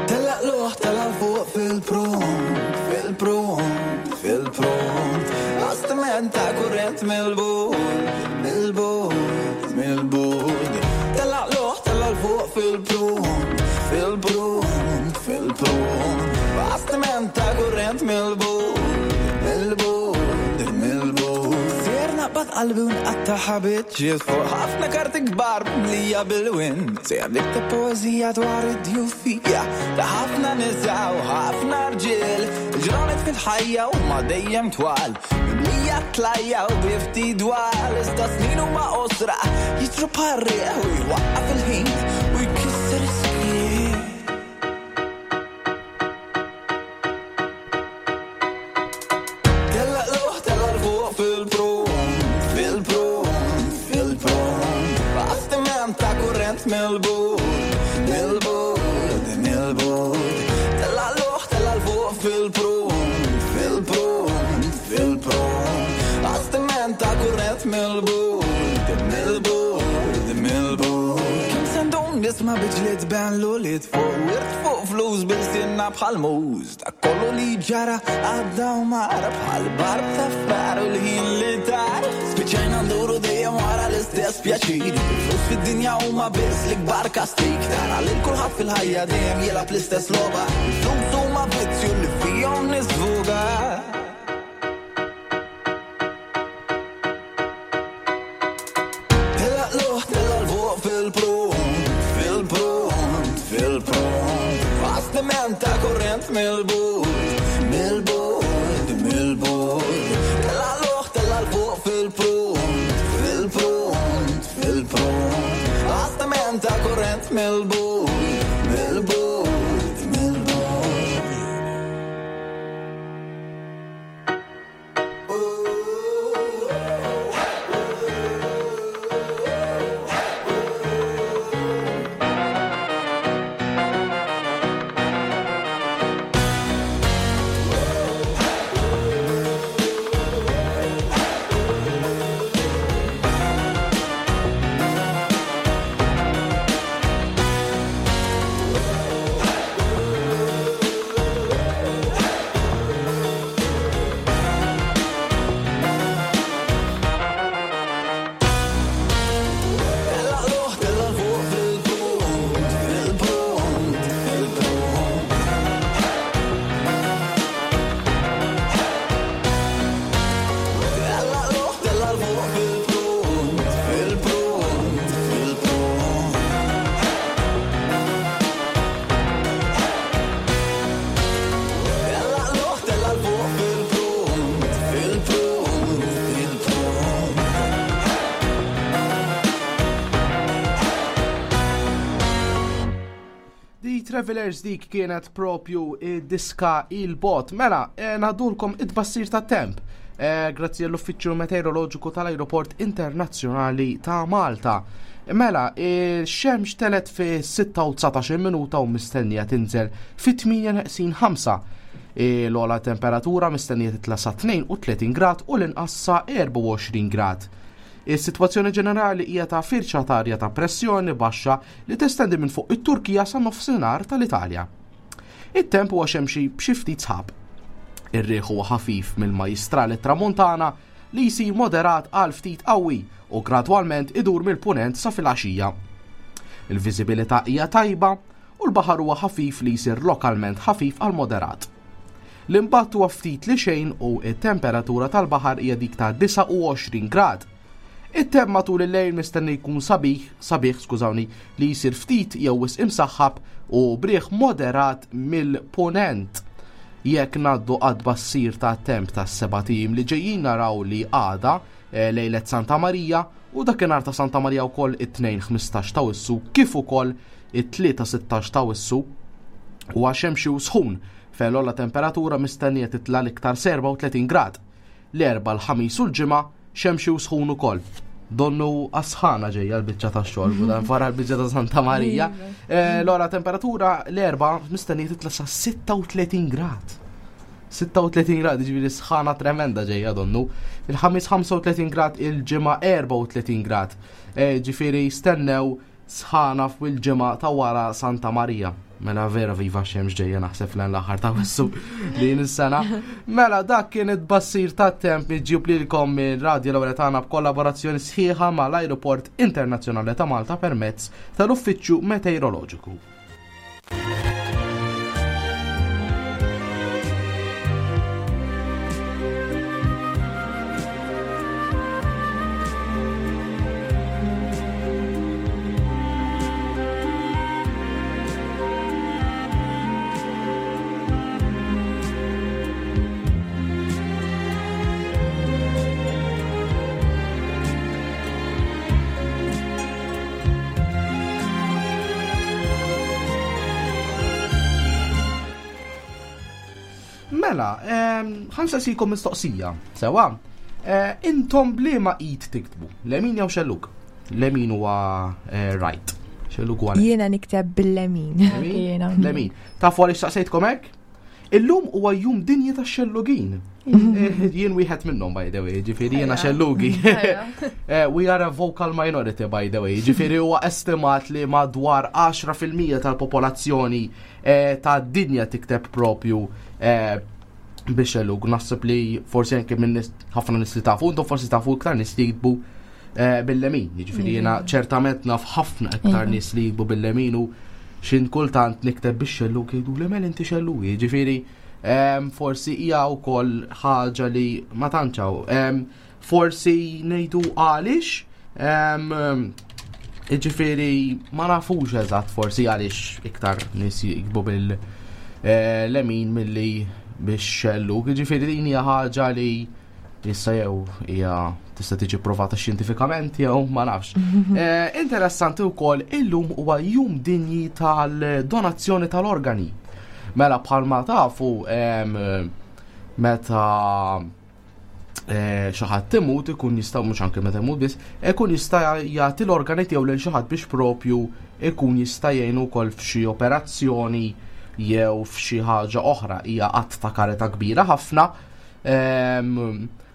Tella luħ, tella fuq fil-pront, fil-pront, fil-pront. Bastiment ta' kurrent mill-bud, mill-bud, mill-bud. Tella luħ, tella fuq fil-pront, fil-pront, fil-pront. Bastiment ta' kurrent mill-bud, mill-bud, mill-bud. Sir naqbad qalbi u nqatta' ħabiċ fuq ħafna karti kbar mlija bil-win. Sejjer nikteb poeżija dwar id-djufija ta' ħafna nisa u ħafna rġiel. Il-ġranet fil-ħajja huma dejjem twal, mimlija tlajja u bi ftit dwal. Iżda snin huma qosra, jiġru bħar-riħ u jwaqqaf il-ħin u jkisser is-skiet. Tella luħ, tella l-fuq fil-pront, fil-pront, fil-pront. Bastiment ta' kurrent mill-bud, mill-bud, mill-bud. Tella luħ, tella l-fuq fil-pront, fil-pront, fil-pront. Bastiment ta' kurrent mill-bud, mill-bud, mill-bud. Kemm se ndum nisma' biġliet ben l-ulied fuq wirt fuq flus bil-sinna bħal muż. Dak kollu li ġara għadda u mar bħal barb ta' frar u l-ħin li tar. Spiċċajna nduru dejjem wara l-istess pjaċir. Il-flus fid-dinja huma biss l-ikbar kastig. Tara lil kulħadd fil-ħajja dejjem jilgħab l-istess logħba. Il-flus huma vizzju li fihom nisvuga. Tella luħ, tella l-fuq fil-pront, fil-pront, fil-pront. Bastiment ta' kurrent mill-bud, mill-bud, mill-bud. Tella luħ, tella l-fuq fil-pront, fil-pront, fil-pront. Bastiment ta' kurrent mill-bud, mill-bud, mill-bud.
Travelers dik kienet propju diska il-bot. Mela, eh, nadulkom id-bassir ta' temp. Eh, grazzi għall-Uffiċċju Meteoroloġiku tal-Ajruport Internazzjonali ta' Malta. Mela, il-xemx telet fi 6 minuta u mistennija tinżel fi 8 neqsin 5. L-ola temperatura mistennija titla sa 32 grad u l-inqas sa 24 grad. Is-sitwazzjoni ġenerali hija ta' firxa ta' arja ta' pressjoni baxxa li testendi minn fuq it-Turkija sa nofsinhar tal-Italja. It-temp huwa xemxi b'xi ftit sħab. Ir-riħ huwa ħafif mill-Majjistral it-Tramuntana li jsir moderat għal ftit qawwi u gradwalment idur mill-Punent sa filgħaxija. Il-viżibilità hija tajba u l-baħar huwa ħafif li jsir lokalment ħafif għal moderat. L-imbatt huwa ftit li xejn u t-temperatura tal-baħar hija dik ta' 29 grad. It-temp matul il-lejl mistenni jkun sabiħ, sabiħ, skużawni, li jsir ftit jew wisq imsaħħab u b'riħ moderat mill-punent. Jekk ngħaddu għat-tbassir tat-temp tas-sebat ijiem li ġejjin naraw li għada, eh, lejlet Santa Marija, u dakinhar ta' Santa Marija wkoll it-Tnejn 15 ta' Wissu kif ukoll it-Tlieta 16 ta' Wissu huwa xemxi u sħun fejn l-ogħla temperatura mistennija titla' l-iktar sa 34 grad. L-Erbgħa, l-Ħamis u l-Ġimgħa xemxi u sħun ukoll. Donnu għas-sħana ġejja l-biċċa tax-xogħol, u dan wara l-biċċa ta' Santa Marija. Eh, l-ogħla temperatura l-Erbgħa mistennija titla' sa 36 grad. 36 grad, ġifieri sħana tremenda ġejja donnu. Il-ħamis 35 grad, il-ġimgħa 34 grad. Eh, ġifieri stennew sħana fil-ġimgħa ta' wara Santa Marija. Mela vera viva xemx ġejja naħseb l l-aħħar ta' wissu din is-sena. Mela dak kien it-bassir tat-temp miġjub lilkom mir-Radio Lawretana b'kollaborazzjoni sħiħa mal-Ajruport Internazzjonali ta' Malta permezz tal-Uffiċċju Meteoroloġiku. Mela, ħansaqsikom mistoqsija, sewa. Eh, intom bliema id tiktbu, lemin jew xelluk? Lemin huwa eh, right. Xelluk huwa
Jiena nikteb bil-lemin.
Lemin. Tafu għaliex saqsejtkom hekk? Illum huwa jum dinji tax-xellugin. Eh, jien wieħed minnhom by the way, ġifieri jiena xellugi. Eh, we are a vocal minority by the way, ġifieri huwa estimat li madwar 10% tal-popolazzjoni eh, tad-dinja tikteb propju biex xellug. Naħseb li forsi anke minn ħafna nies li tafu, intom forsi tafu iktar nies li jiktbu bil-lemin. Jiġifieri jiena ċertament naf ħafna iktar nies li jiktbu bil-lemin u xin kultant nikteb biex xellug jgħidu li mel inti xellug. Jiġifieri forsi hija wkoll ħaġa li ma tantx hawn. Forsi ngħidu għaliex jiġifieri ma nafux eżatt forsi għaliex iktar nies jiktbu bil-lemin eh, milli biex xellug. Jiġifieri din hija ħaġa li Issa jew hija tista' tiġi provata xjentifikament jew ma nafx. Eh, interessanti wkoll illum huwa jum dinji tal-donazzjoni tal-organi. Mela bħalma tafu meta eh, xi ħadd imut ikun jista' mhux anke meta imut biss, ikun jista' jagħti l-organi tiegħu lil xi ħadd biex propju ikun jista' jgħinu wkoll f'xi operazzjoni jew f'xi ħaġa oħra. Hija att ta' karità kbira ħafna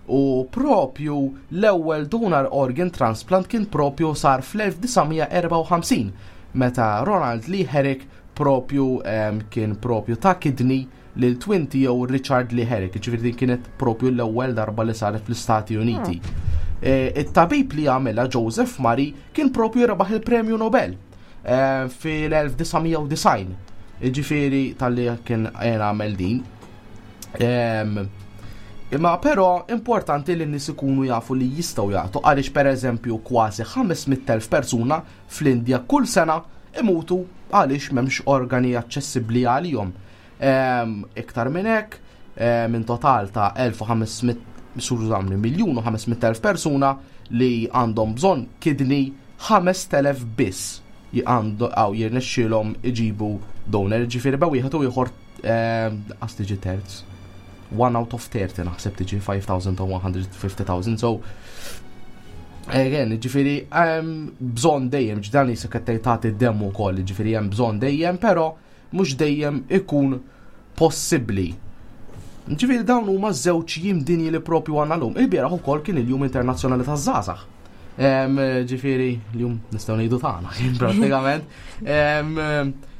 U propju l-ewwel donor organ transplant kien propju sar fl-1954 meta Ronald Lee Herrick propju kien propju ta' kidney lil twin tiegħu Richard Lee Herrick, ġifieri din kienet propju l-ewwel darba li saret fl-Istati Uniti. Hmm. E, it-tabib li għamilha Joseph Murray kien propju rebaħ il-Premju Nobel e, fil-1990. Ġifieri tal-li kien għamel din. Imma però importanti li n-nies ikunu jafu li jistgħu jagħtu għaliex pereżempju kważi 500,000 persuna fl-Indja kull sena imutu għaliex m'hemmx organi aċċessibbli għalihom. Iktar minn hekk, minn total ta' 1500 skużawni, miljun u 500,000 persuna li għandhom bżonn kidney 5,000 biss. għandu għaw jirnexxielhom iġibu donor, ġifieri bejn wieħed u ieħor qas tiġi terz. 1 out of 30 naħseb tiġi 5,150,000, so Again, ġifiri, bżon dejjem, ġdani se qed tagħti d-demm ukoll, ġifiri hemm bżon dejjem, però mhux dejjem ikun possibbli. Ġifiri dawn huma żewġ jiem dinji li propju għandna llum. Il-bieraħ ukoll kien il-Jum Internazzjonali taż-Żgħażagħ. Ġifiri, l-jum nistgħu ngħidu tagħna kien prattikament.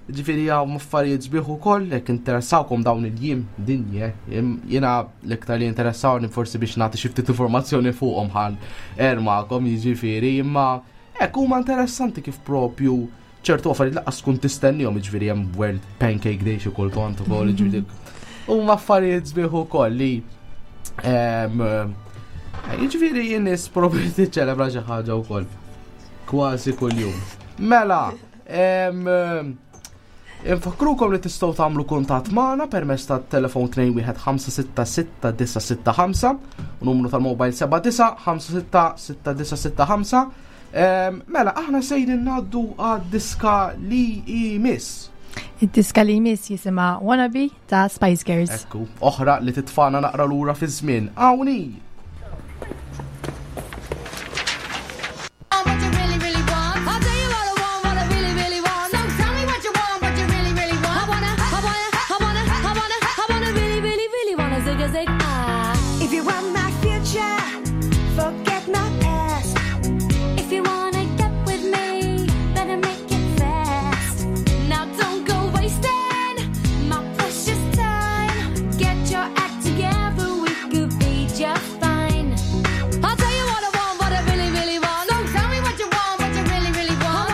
Ġifiri hawn affarijiet sbieħ ukoll jekk interessawkom dawn il-jiem dinji, jiena l-iktar li interessawni forsi biex nagħti xi ftit informazzjoni fuqhom ħan ermakom jiġifieri, imma hekk huma interessanti kif propju ċertu affarijiet laqqas tkun tistennihom, jiġifieri hemm World Pancake Day xi kultant ukoll, jiġifieri huma affarijiet sbieħ ukoll li jiġifieri jien-nies propju tiċċelebra xi ħaġa wkoll kważi kuljum. Mela, Infakrukom li tistgħu tagħmlu kuntatt magħna permezz tat-telefon 21566 u numru tal-mobile 79566965. Mela, aħna sejrin ngħaddu għad-diska li jmiss.
Id-diska li jmiss jisimha Wannabe ta' Spice Girls.
Ekku, oħra li titfana naqra lura fi żmien. Hawnhi!
What you really, really want. I'll tell you what I want, what I really, really want. So tell me what you want, what you really, really want. I wanna, I wanna, I wanna, I wanna, I wanna really, really, really wanna zig a zig ah.
If you want my future, forget my past.
If you wanna get with me, better make it fast. Now don't go wasting my precious time. Get your act together, we could be just fine. I'll tell you what I want, what I really, really want. So tell me what you want, what you really, really want. I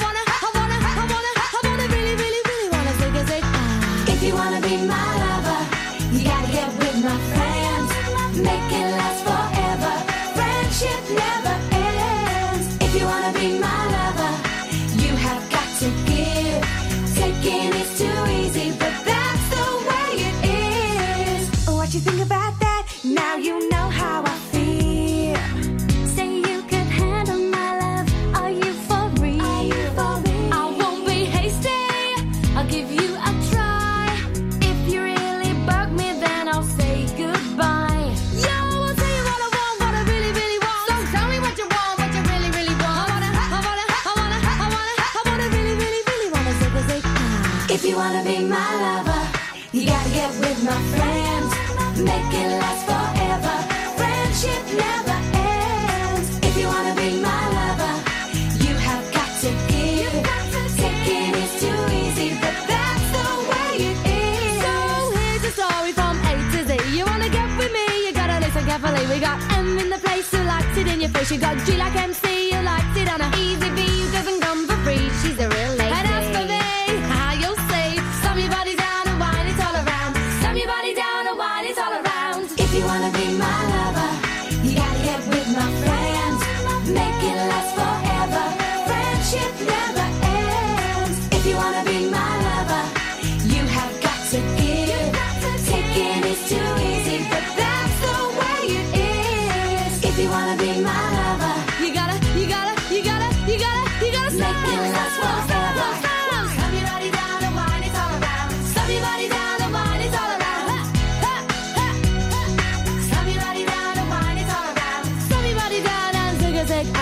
wanna, I wanna, I wanna, I wanna, really, really, really wanna zig a zig ah.
If you wanna be my lover, you gotta get with my friends. Make it last forever. Friendship never ends. If you wanna be my lover, you have got to give. Taking is too easy, but that's the way it is. What you think about that? Now you know how I feel.
Say you could handle my love. Are you for real?
Are you for real?
I won't be hasty. I'll give you a try. If you really bug me, then I'll say goodbye. Yo, I'll tell you what I want, what I really, really want. So tell me what you want, what you really, really want. I wanna, I wanna, I wanna, I wanna, I wanna really, really, really wanna zig a zig ah.
If you wanna be my lover, you gotta get with my friends. Make it last forever. Friendship never ends. If you wanna be my lover, you have got to give. Taking is too easy, but that's the way it is.
So here's a story from A to Z. You wanna get with me? You gotta listen carefully. We got M in the place who likes it in your face. You got G like MC who likes it on a easy B who doesn't come for free. She's a real lady. And as for me, ah, you'll see. Slam your body down and wine it all around. Slam your body down and wine it all around.
If you wanna be my lover, you gotta get with my friends. Make it last forever. Friendship never ends. If you wanna be my lover, you have got to give. Taking is too easy, but that's the way it is. If you wanna be my lover,
You gotta, you gotta, you gotta, you gotta, you gotta
make it last forever.
Slam your body down and wine it all around. Slam your body down and wine it all around. Ha, ha, ha, ha. Slam your body down and wine it all around. Slam your body down and zig a zig ah.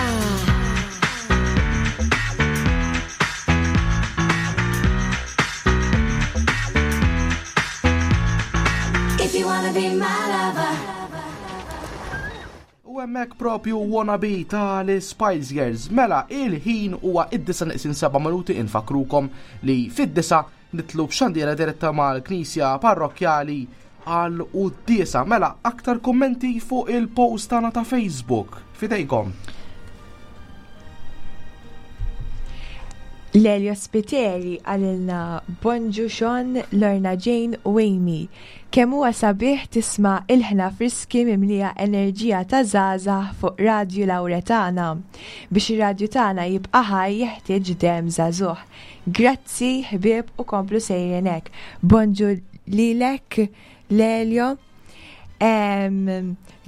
If you wanna be my lover.
U hemmhekk propju Wannabe tal-Spice Girls. Mela, il-ħin huwa id-disa neqsin 7 minuti infakrukom li fid-disa nitlu b'xandiera diretta mal-Knisja Parrokkjali għal quddiesa. Mela, aktar kummenti fuq il-post tagħna ta' Facebook. Fidejkom.
Lelio Spiteri għalilna Bonġu Sean, Lorna Jane u Amy. Kemm huwa sabiħ tisma' ilħna friski mimlija enerġija ta' żgħażagħ fuq Radju Lawretana. Biex ir-radju tagħna jibqa' ħaj jeħtieġ demm żagħżugħ. Grazzi ħbieb u komplu sejrin hekk. Bonġu lilek Lelio.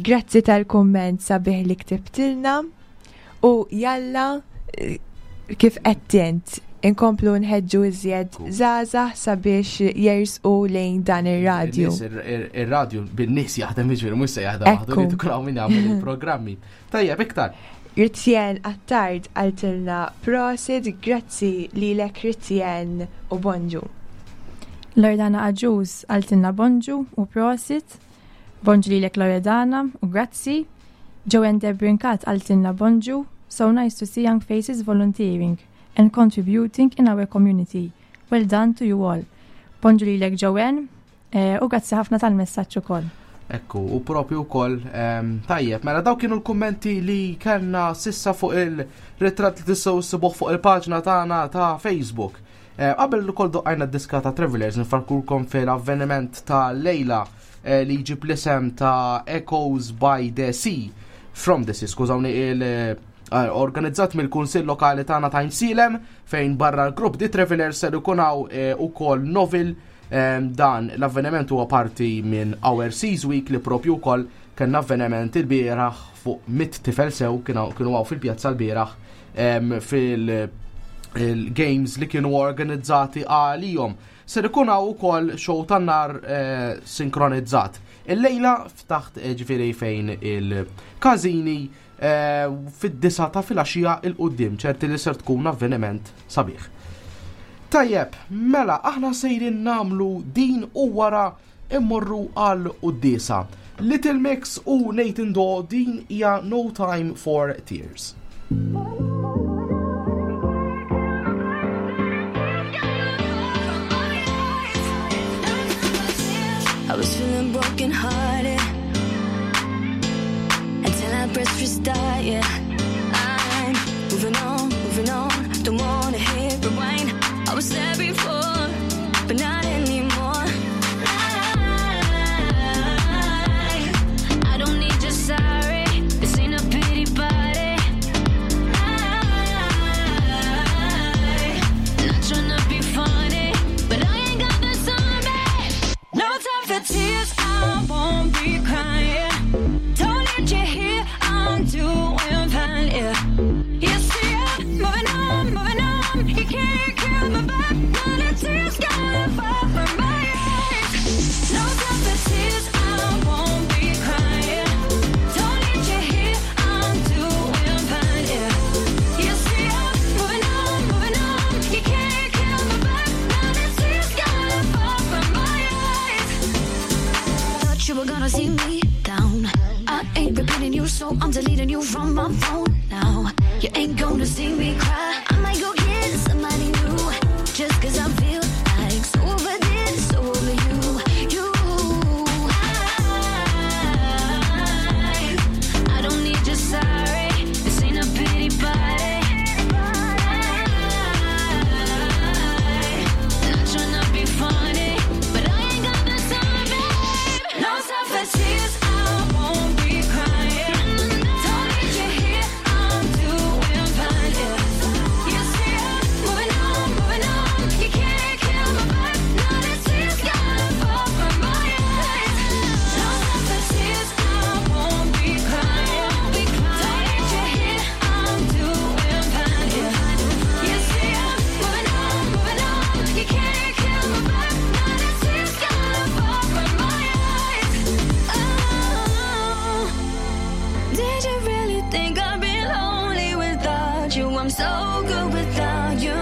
Grazzi tal-kumment sabiħ li ktibtilna u jalla Kif qed int, inkomplu nħeġġu iżjed żgħażagħ sabiex jersqu lejn dan ir-radju.
Ir-radju bin-nies jaħdem jiġifieri mhux se jaħdem waħdu li tkun hawn min jagħmel il-programmi. Tajjeb iktar.
Ritjen Attard qaltilna prosit, grazzi lilek Ritjen u bonġu.
Loredana Agius qaltilna bonġu u prosit. Bonġu lilek Loredana u grazzi. Joanne Debrincat qaltilna bonġu, so nice to see young faces volunteering and contributing in our community. Well done to you all. Bonġu lilek Joanne eh, u grazzi ħafna tal-messaġġ ukoll.
Ekku, u propju wkoll ehm, tajjeb, mela daw kienu l-kummenti li kellna sissa fuq il-ritratt li tistgħu ssibuh fuq il-paġna tagħna ta' Facebook. Eh, qabel ukoll doqqajna d-diska ta' Travelers nfarkurkom fil-avveniment ta' Lejla eh, li jġib l-isem ta' Echoes by the Sea, From the Sea, skużawni, il- eh, organizzat mill-Kunsill Lokali tagħna ta' Għajnsielem fejn barra l-grupp The Travelers ser ikun hawn eh, ukoll novel dan l-avveniment huwa parti minn Our Seas Week li propju wkoll kellna avveniment il-bieraħ fuq mit tifel sew kienu hawn fil-pjazza l-bieraħ fil-games li kienu organizzati għalihom. Ser ikun hawn ukoll show tan-nar eh, sinkronizzat. Illejla ftaħt eh, ġifieri fejn il-każini eh, fid-disa ta' filgħaxija il qudiem ċerti li ser tkun avveniment sabiħ. Tajjeb, mela aħna sejrin namlu din u wara immorru għal quddiesa. Little Mix u Nathan Daw din hija No Time for Tears.
I was feeling broken hearted until I pressed restart. Yeah, I'm moving on, moving on. Don't wanna hit rewind. I was there before, but not anymore. I don't need your sorry. This ain't a pity party. I'm not tryna be funny, but I ain't got the time, babe. No time for tears, I won't be crying. Don't need you here, I'm doing fine, yeah. You see, I'm moving on, moving on. You can't kill my vibe. None of tears gonna fall from my eyes. No time for tears, I won't be crying. Don't need you here, I'm doing fine, yeah. You see, I'm moving on, moving on. You can't kill my vibe. None of tears gonna fall from my eyes.
Thought you were gonna see me down. I ain't repeating you, so I'm deleting you from my phone now. You ain't gonna see me cry. I might go get somebody new. Just cause I feel like so over this, so over you. You.
I don't need your sorry. This ain't a pity party. Not tryna be funny, but I ain't got the time, babe. No time for tears, I won't be crying. Don't need you here, I'm doing fine. Yeah. You see, I'm moving on, moving on. You can't kill my vibe. None of tears gonna fall from my eyes. No time for tears, I won't be crying. Don't need you here, I'm doing fine. Yeah. You see, I'm moving on, moving on. You can't kill my vibe. None of tears gonna fall from my eyes. Oh. Did you really think I'd be lonely without you? I'm so good without you.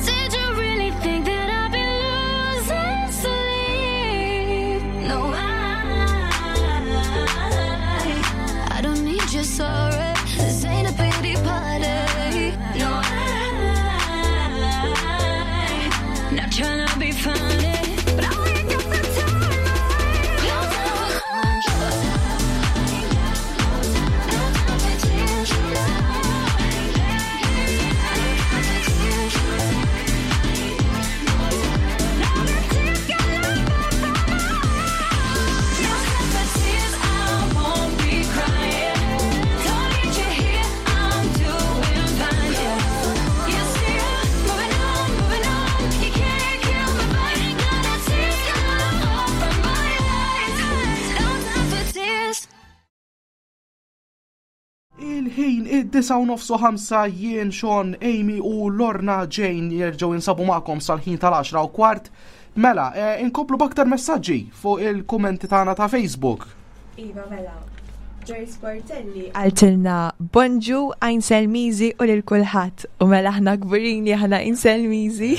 Did you really think that I'd be losing sleep? No,
I don't need your sorry. This ain't a pity party.
No, I'm not tryna be funny, but I ain't got the time. No time.
Il-ħin id-disa u nofsu ħamsa jien Sean, Amy u Lorna Jane jerġgħu jinsabu magħkom sal-ħin tal-10 u kwart. Mela, eh, inkomplu b'aktar messaġġi fuq il-kummenti tagħna ta' Facebook.
Iva mela. Joyce Portelli għaltilna bonġu għajn Selmizi u lil kulħadd u mela aħna kburin li aħna għajn Selmizi.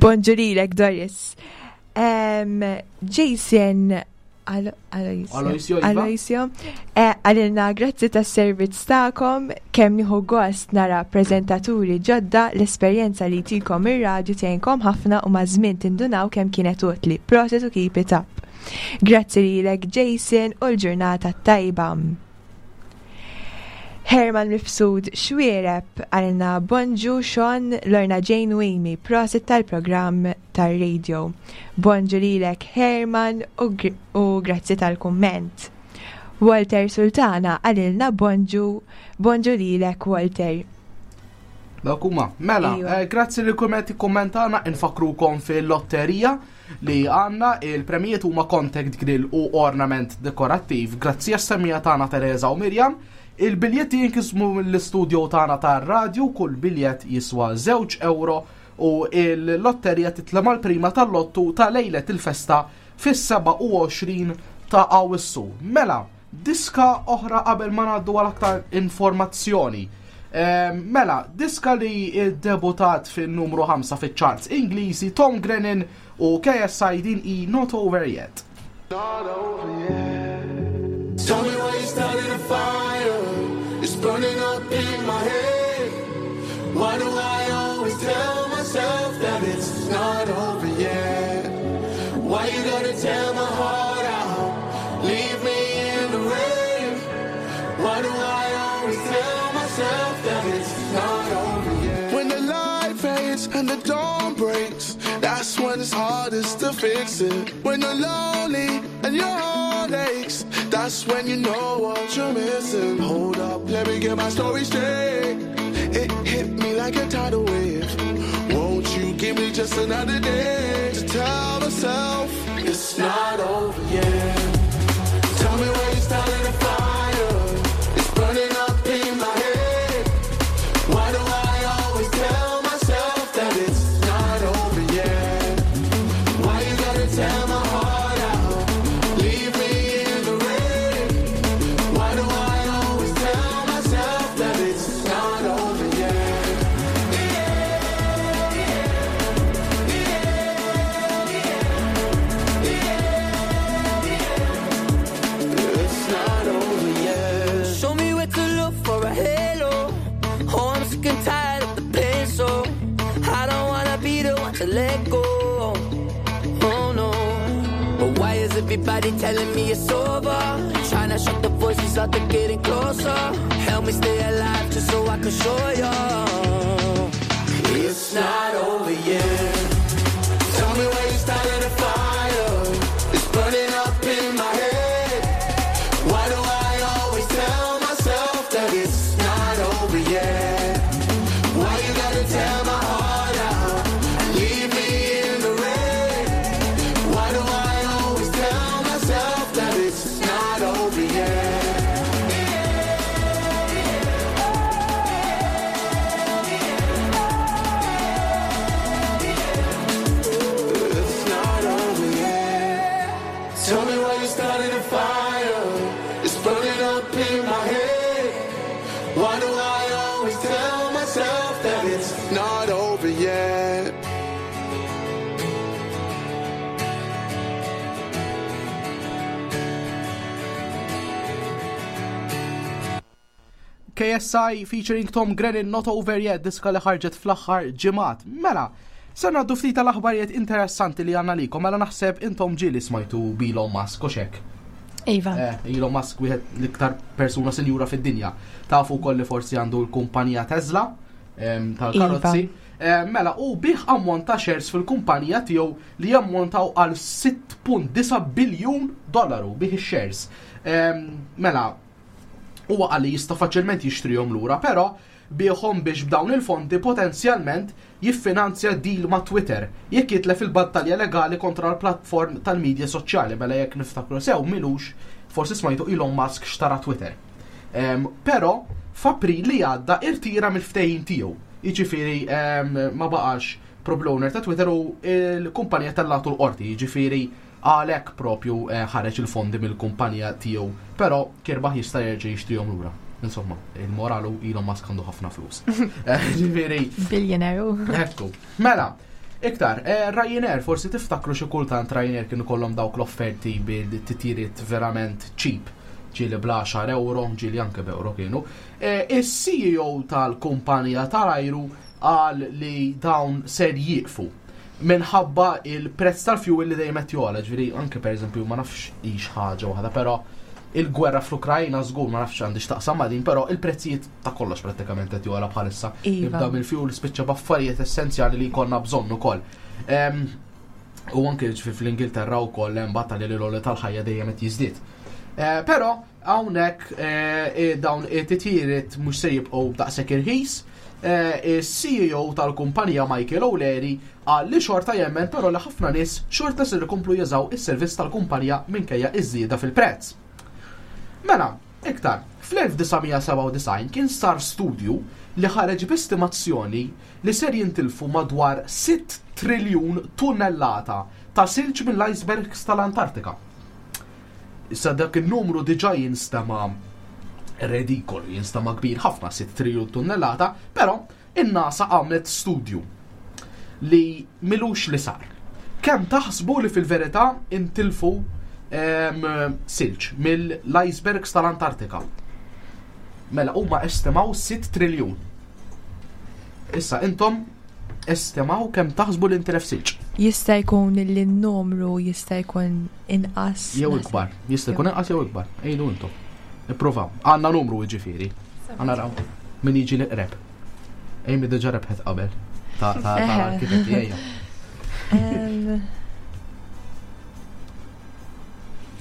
Bonġu lilek Doris. Jason
Aloisio, Iva.
Aloisio, eh, għalilna grazzi tas servizz tagħkom, kemm nieħu gost nara preżentaturi ġodda l-esperjenza li tikom ir-radju tgħinkom ħafna u maż-żmien tindunaw kemm kienet utli. Proset u keep it up. Grazzi lilek Jason u l-ġurnata tajba. Herman Mifsud Xwiereb għalna bonġu Sean Lorna Jane u Amy, prosit tal-programm tar-radio. Bonġu lilek Herman u, gr u grazzi tal-kumment. Walter Sultana għalilna bonġu, bonġu lilek Walter.
Dawk huma. Mela, eh, grazzi li kumment ikkummentana infakrukom fil-lotterija li għandna il-premijiet huma contact grill u ornament dekorattiv. Grazzi għas-semmija tagħna Teresa u Mirjam. Il-biljetti jinkismu mill-istudio tagħna tar-radju, kull biljett jiswa 2 euro u il-lotterija titla mal-prima tal-lottu ta' lejlet il-festa fis-27 ta' Awwissu. Mela, diska oħra qabel ma ngħaddu għal aktar informazzjoni. Ehm, mela, diska li debutat fin-numru 5 fiċ-charts Ingliżi Tom Grennan u KSI din i Not Over Yet.
Not over yet. Tell me why you started a fire. It's burning up in my head. Why do I always tell myself that it's not over yet? Why you gotta tear my heart out? Leave me in the rain. Why do I always tell myself that it's not over yet? When the light fades and the dawn breaks, that's when it's hardest to fix it. When you're lonely and your heart aches, that's when you know what you're missing. Hold up, let me get my story straight. It hit me like a tidal wave. Won't you give me just another day to tell myself it's not over yet? Tell me why you started a fire. It's burning up in my head. Why do I always tell myself that it's not over yet? Why you gotta tear my heart out? Leave me in the rain. Why do I always tell myself that it's not over yet? It's not over yet.
Show me where to look for a halo. Oh, I'm sick and tired of the pain, so I don't wanna be the one to let go. Oh no. But why is everybody telling me it's over? Trying to shut the voices out, they're getting closer. Help me stay alive just so I can show you.
It's not over yet. Tell me why you started a fire. It's burning up in my head. Why do I always tell myself that it's not over yet? Why you gotta tear my heart out? Leave me in the rain. Why do I always tell myself that it's not over yet? It's not over yet. Tell me why you started a fire. It's burning up in my head. Why do I always tell myself that it's not over yet?
KSI featuring Tom Grennan Not Over Yet diska li ħarġet fl-aħħar ġimgħat. Mela, se ngħaddu ftit tal-aħbarijiet interessanti li għandna likom, mela naħseb intom ġieli smajtu b'Elon Musk u xek.
Iva.
Eh, Elon Musk wieħed l-iktar persuna sinjura fid-dinja. Tafu wkoll li forsi għandu l-kumpanija Tesla tal-karozzi.
Iva.
Eh, mela, u bih ammont ta' shares fil-kumpanija tiegħu li jammontaw għal 6.9 biljun dollaru bih ix-shares. Mela, huwa qal li jista' faċilment jixtrihom lura, però biegħhom biex b'dawn il-fondi potenzjalment jiffinanzja deal ma' Twitter jekk jitlef il-battalja legali kontra l-platform tal-midja soċjali mela jekk niftakru sew milux forsi smajtu Elon Musk xtara Twitter. Però f'April li għadda irtira mill-ftehim tiegħu. Jiġifieri ma baqax proprju owner ta' Twitter u l-kumpanija tellatu l-qorti, jiġifieri għalhekk propju eh, ħareġ il-fondi mill-kumpanija tiegħu, però kirbaħ jista' jerġa' jixtrihom lura. Insomma, il-moralu Elon Musk għandu ħafna flus. Eh, ġifieri.
Billionaire.
Ekku. Mela, iktar, eh, Ryanair, forsi tiftakru xi kultant Ryanair kienu kollhom dawk l-offerti bil-titjiriet verament cheap ġieli bla 10 euro, ġieli anke b'euro kienu. Is-CEO tal-kumpanija tal-ajru qal li dawn ser jieqfu minħabba il-prezz tal-fuel li dejjem qed jogħla, ġifieri anke pereżempju ma nafx hix ħaġa waħda, però il-gwerra fl-Ukrajna żgur ma nafx għandi x'taqsam ma' din, però il-prezzijiet ta' kollox prattikament qed jogħla bħalissa.
Iva.
Ibda mill-fuel spiċċa b'affarijiet essenzjali li jkollna bżonn ukoll. U anke ġifieri fl-Ingilterra wkoll hemm battalja li l-għoli tal-ħajja dejjem qed jiżdied. Eh, però Hawnhekk dawn it-titjiriet mhux se jibqgħu daqshekk irħis. Is-CEO tal-kumpanija Michael O'Leary qal li xorta jemmen però li ħafna nies xorta ser ikomplu jużaw is-servizz tal-kumpanija minkejja iż-żieda fil-prezz. Mela, iktar, fl-1997 kien sar studju li ħareġ b'estimazzjoni li ser jintilfu madwar 6 triljun tunnellata ta' silġ mill-icebergs tal-Antartika. Issa dak in-numru diġà jinstema' redikolu, jinstema' kbir ħafna, 6 triljun tunnellata, però in-NASA għamlet studju li milux li sar. Kemm taħsbu li fil-verità intilfu silġ mill-icebergs tal-Antartika? Mela huma estimaw 6 triljun. Issa intom Estimaw kemm taħsbu li ntilef silġ.
Jista' jkun li n-numru jista' jkun inqas.
Jew ikbar. Jista' jkun inqas jew ikbar. Ejdu intom. Ippruvaw. Għandna numru jiġifieri. Għandna raw min jiġi l-iqreb. Ejmi diġà rebħet qabel. Ta' ta' ta' arkitetti ejja.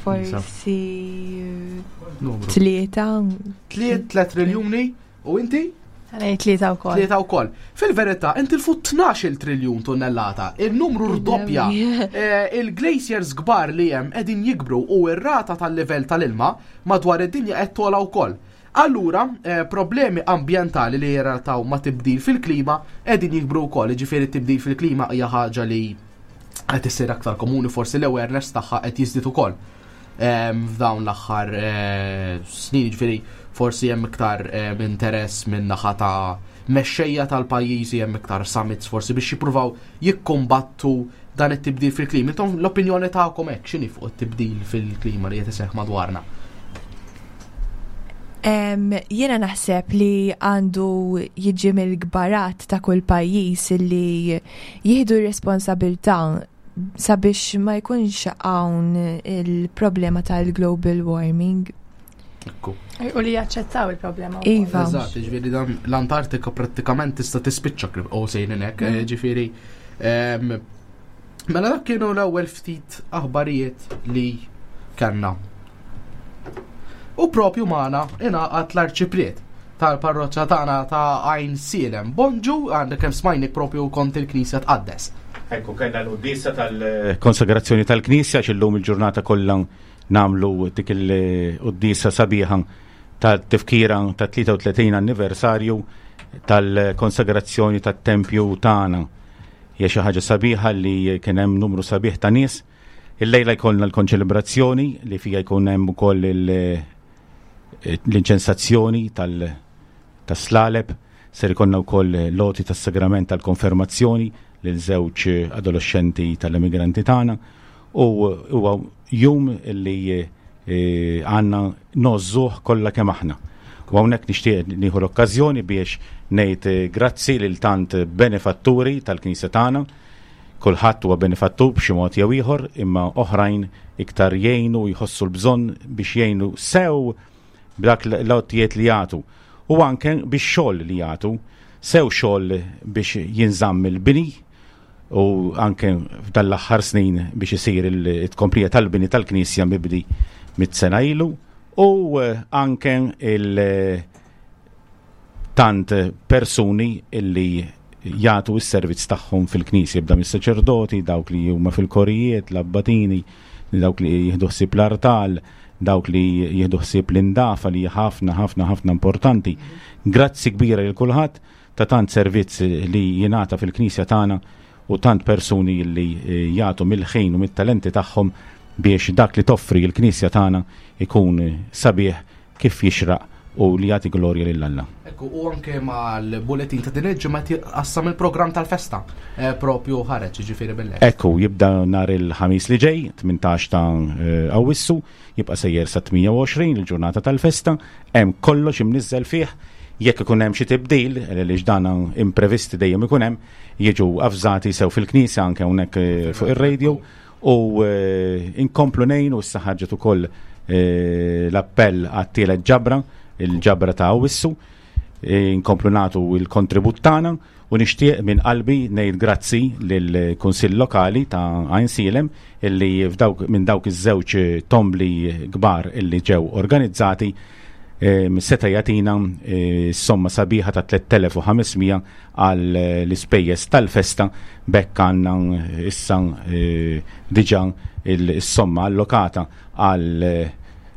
Forsi. Tlieta.
Tliet, tliet triljuni. U inti?
Għalej tlieta wkoll.
Tlieta wkoll. Fil-verità, intilfu 12 triljun tunnellata, il-numru rdoppja. Eh, il-glaciers kbar li hemm qegħdin jikbru u r-rata tal-livell tal-ilma madwar id-dinja qed togħla wkoll. Allura, eh, problemi ambjentali li jirrataw ma' tibdil fil-klima qegħdin jikbru wkoll, jiġifieri tibdil fil-klima hija ħaġa li qed issir aktar komuni forsi l-awareness tagħha qed jiżdied ukoll. f'dawn l-aħħar eh, snin, ġifieri forsi hemm iktar interess minn naħa ta' mexxejja tal-pajjiżi hemm iktar summits forsi biex jippruvaw jikkumbattu dan it-tibdil fil-klima. Intom l-opinjoni tagħkom hekk x'inhi fuq it-tibdil fil-klima li qed iseħħ madwarna?
Jiena naħseb li għandu jiġi mill-kbarat ta' kull pajjiż li jieħdu r-responsabilità sabiex ma jkunx hawn il-problema tal-global warming.
Ekku.
U li jaċċettaw il-problema.
Iva.
Eżatt, ġifieri dan l-Antartika prattikament tista' tispiċċa krib u sejrin hekk, eh, ġifieri. Ehm, mela dak kienu l-ewwel ftit aħbarijiet li kellna. U propju magħna ingħaqad l-Arċipriet tal-parroċċa tagħna ta' Għajn Sielem. Bonġu, għandek kemm smajnik propju kont il-Knisja tqaddes.
Ekku, kellna l-quddiesa tal-konsagrazzjoni tal-Knisja x'illum il-ġurnata kollha nagħmlu dik il-quddiesa sabiħa ta' tifkira ta' 33 anniversarju tal-konsagrazzjoni tat-tempju tagħna. Hija xi ħaġa sabiħa li kien hemm numru sabiħ ta' nies Illejla jkollna l-konċelebrazzjoni li fija jkun hemm ukoll l-inċensazzjoni tas-slaleb, ser ikollna wkoll l-għoti tas-sagrament tal-konfermazzjoni lil żewġ adolescenti tal-immigranti tagħna u huwa jum li eh, għandna nożżuh kollha kemm aħna. U hawnhekk nixtieq nieħu l-okkażjoni biex ngħid eh, grazzi lil tant benefatturi tal-Knisja tagħna Kulħadd huwa benefattur b'xi mod jew ieħor, imma oħrajn iktar jgħinu u jħossu l-bżonn biex jgħinu sew b'dak l-għotjiet li jagħtu u anke bix-xogħol li jagħtu, sew xogħol biex jinżamm il-bini u anke f'dan l-aħħar snin biex isir it-tkomplija tal-bini tal-knisja mibdi mit-sena ilu u anke il- tant persuni illi jagħtu s-servizz tagħhom fil-knisja, jibda mis-saċerdoti, dawk li huma fil-korijiet, l-abbatini, dawk li jieħdu ħsieb l-artal, dawk li jieħdu ħsieb l-indafa li ħafna ħafna ħafna importanti. Grazzi kbira lil kulħadd ta' tant servizz li jingħata fil-Knisja tagħna u tant persuni li eh, jagħtu mill-ħin u mit-talenti tagħhom biex dak li toffri l-Knisja tagħna ikun sabiħ kif jixraq u li jagħti glorja lil Alla.
Ekku, u anke mal-bulletin ta' din il-ġimgħa qassam il-programm tal-festa eh, propju ħareġ ġifieri bil
Ekku, jibda nhar il-ħamis li ġej, 18 ta' eh, Awwissu, jibqa' sejjer sa 28 il-ġurnata tal-festa, hemm kollox imniżżel fih, jekk ikun hemm xi tibdil, li ġdana imprevisti dejjem ikun hemm, jiġu avżati sew fil-knisja anke hawnhekk eh, fuq ir-radio u eh, inkomplu nejn u issa ħarġet ukoll eh, l-appell għat-tielet ġabra, il-ġabra ta' Awissu, inkomplu nagħtu il-kontribut tagħna u nixtieq minn qalbi ngħid grazzi lill-Kunsill Lokali ta' Għajnsielem illi f'dawk minn dawk iż-żewġ tombli kbar illi ġew organizzati seta' jagħtina somma sabiħa ta' 3500 għal l-ispejjeż tal-festa b'hekk għandna issa diġà is-somma allokata għal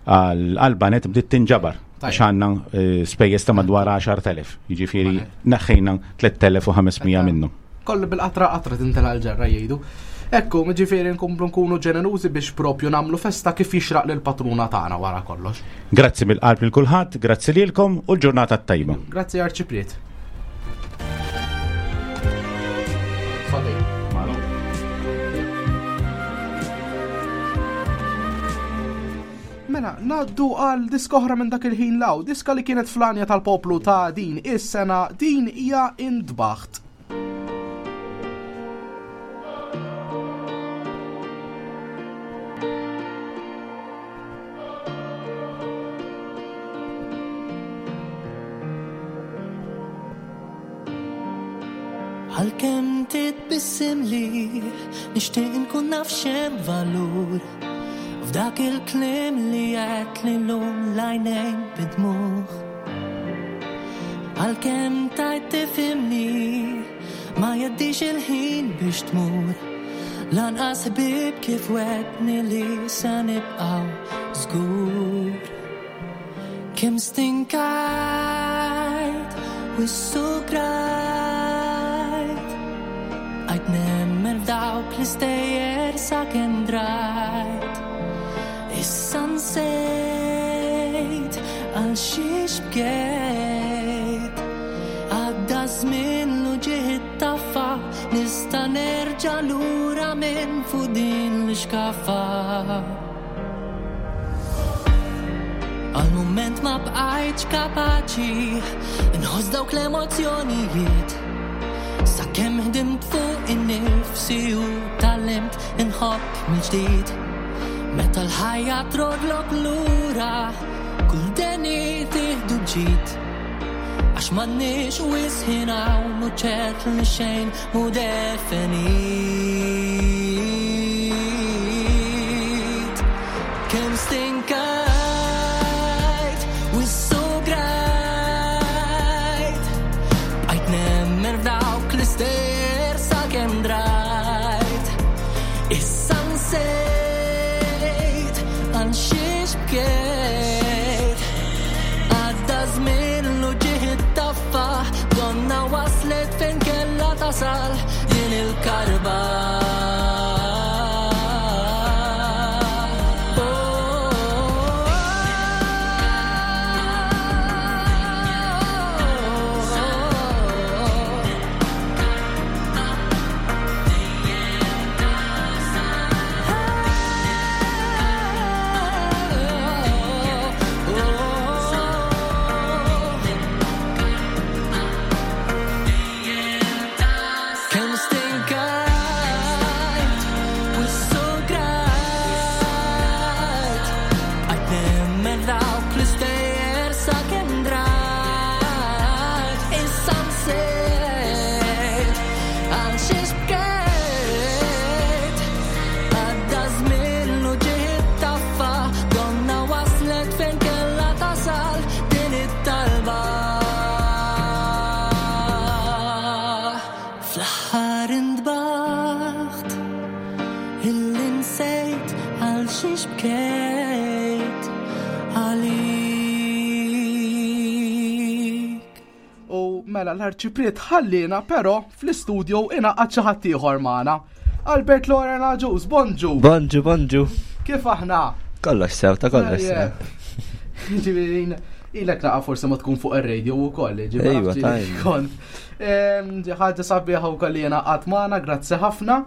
għall-banet bdiet tinġabar għax għandna spejjeż ta' madwar 10,000, jiġifieri neħħejna 3,500 minnu.
Kollu bil-qatra qatra tintela l-ġarra jgħidu. Ekku, ġifieri nkomplu nkunu ġenerużi biex propju nagħmlu festa kif jixraq lil patruna tagħna wara kollox.
Grazzi mill-qalb lil kulħadd, grazzi lilkom u l-ġurnata t-tajba.
Grazzi Arċipriet. Mela, naddu għal diska oħra minn dak il-ħin law, diska li kienet flanja tal-poplu ta' din is-sena, din hija intbaħt.
Għalkemm titbissim li nixtieq nkun naf x'hemm valur f'dak il-kliem li għedt li llum l-għajnejn bidmuh. Għalkemm tajt tifhimni ma jgħaddix il-ħin biex tmur. Lanqas ħbieb kif wegħdni li se nibqgħu żgur. Kemm stinkajt u ssugrajt Għajt nemmen f'dawk l-istejjer sakemm drajt Issa nsejt għal xiex bkejt Għadda żmien l-uġigħ ittaffa Nista' nerġa' lura minn fuq din l-ixkaffa Għal mument ma bqajtx kapaċi nħoss dawk l-emozzjonijiet Sakemm ħdimt fuq innifsi u tgħallimt inħobb mill-ġdid Meta l-ħajja trodlok lura kull deni tieħdu b'ġid Għax m'għandniex wisq ħin hawn u ċert li xejn mhu definit. Kemm stinkajt u ssugrajt Bqajt nemmen f'dawk l-istejjer sakemm drajt Issa nsejt għal xiex bkejt Għadda żmien l-uġigħ ittaffa Donna waslet fejn kellha tasal din il-karba Kemm stinkajt u ssugrajt Bqajt nemmen dawk l-istejjer sakemm drajt Issa nsejt għal xiex bkejt Għadda żmien l-uġigħ ittaffa Donna waslet fejn kellha tasal din it-talba Fl-aħħar intbaħt illi nsejt għal
Mela l-arċipriet ħallina però fl-istudio ingħaqad xi ħadd ieħor magħna. Albert Loren Agius, bonġu.
Bonġu, bonġu.
Kif aħna?
Kollox sew, ta' kollox sew.
Ġifieri ilek naqa' forsi ma tkun fuq ir-radio wkoll,
ġifieri. Ejwa, tajjeb.
Kont. Ħaġa sabiħa wkoll li jena qatt magħna, grazzi ħafna.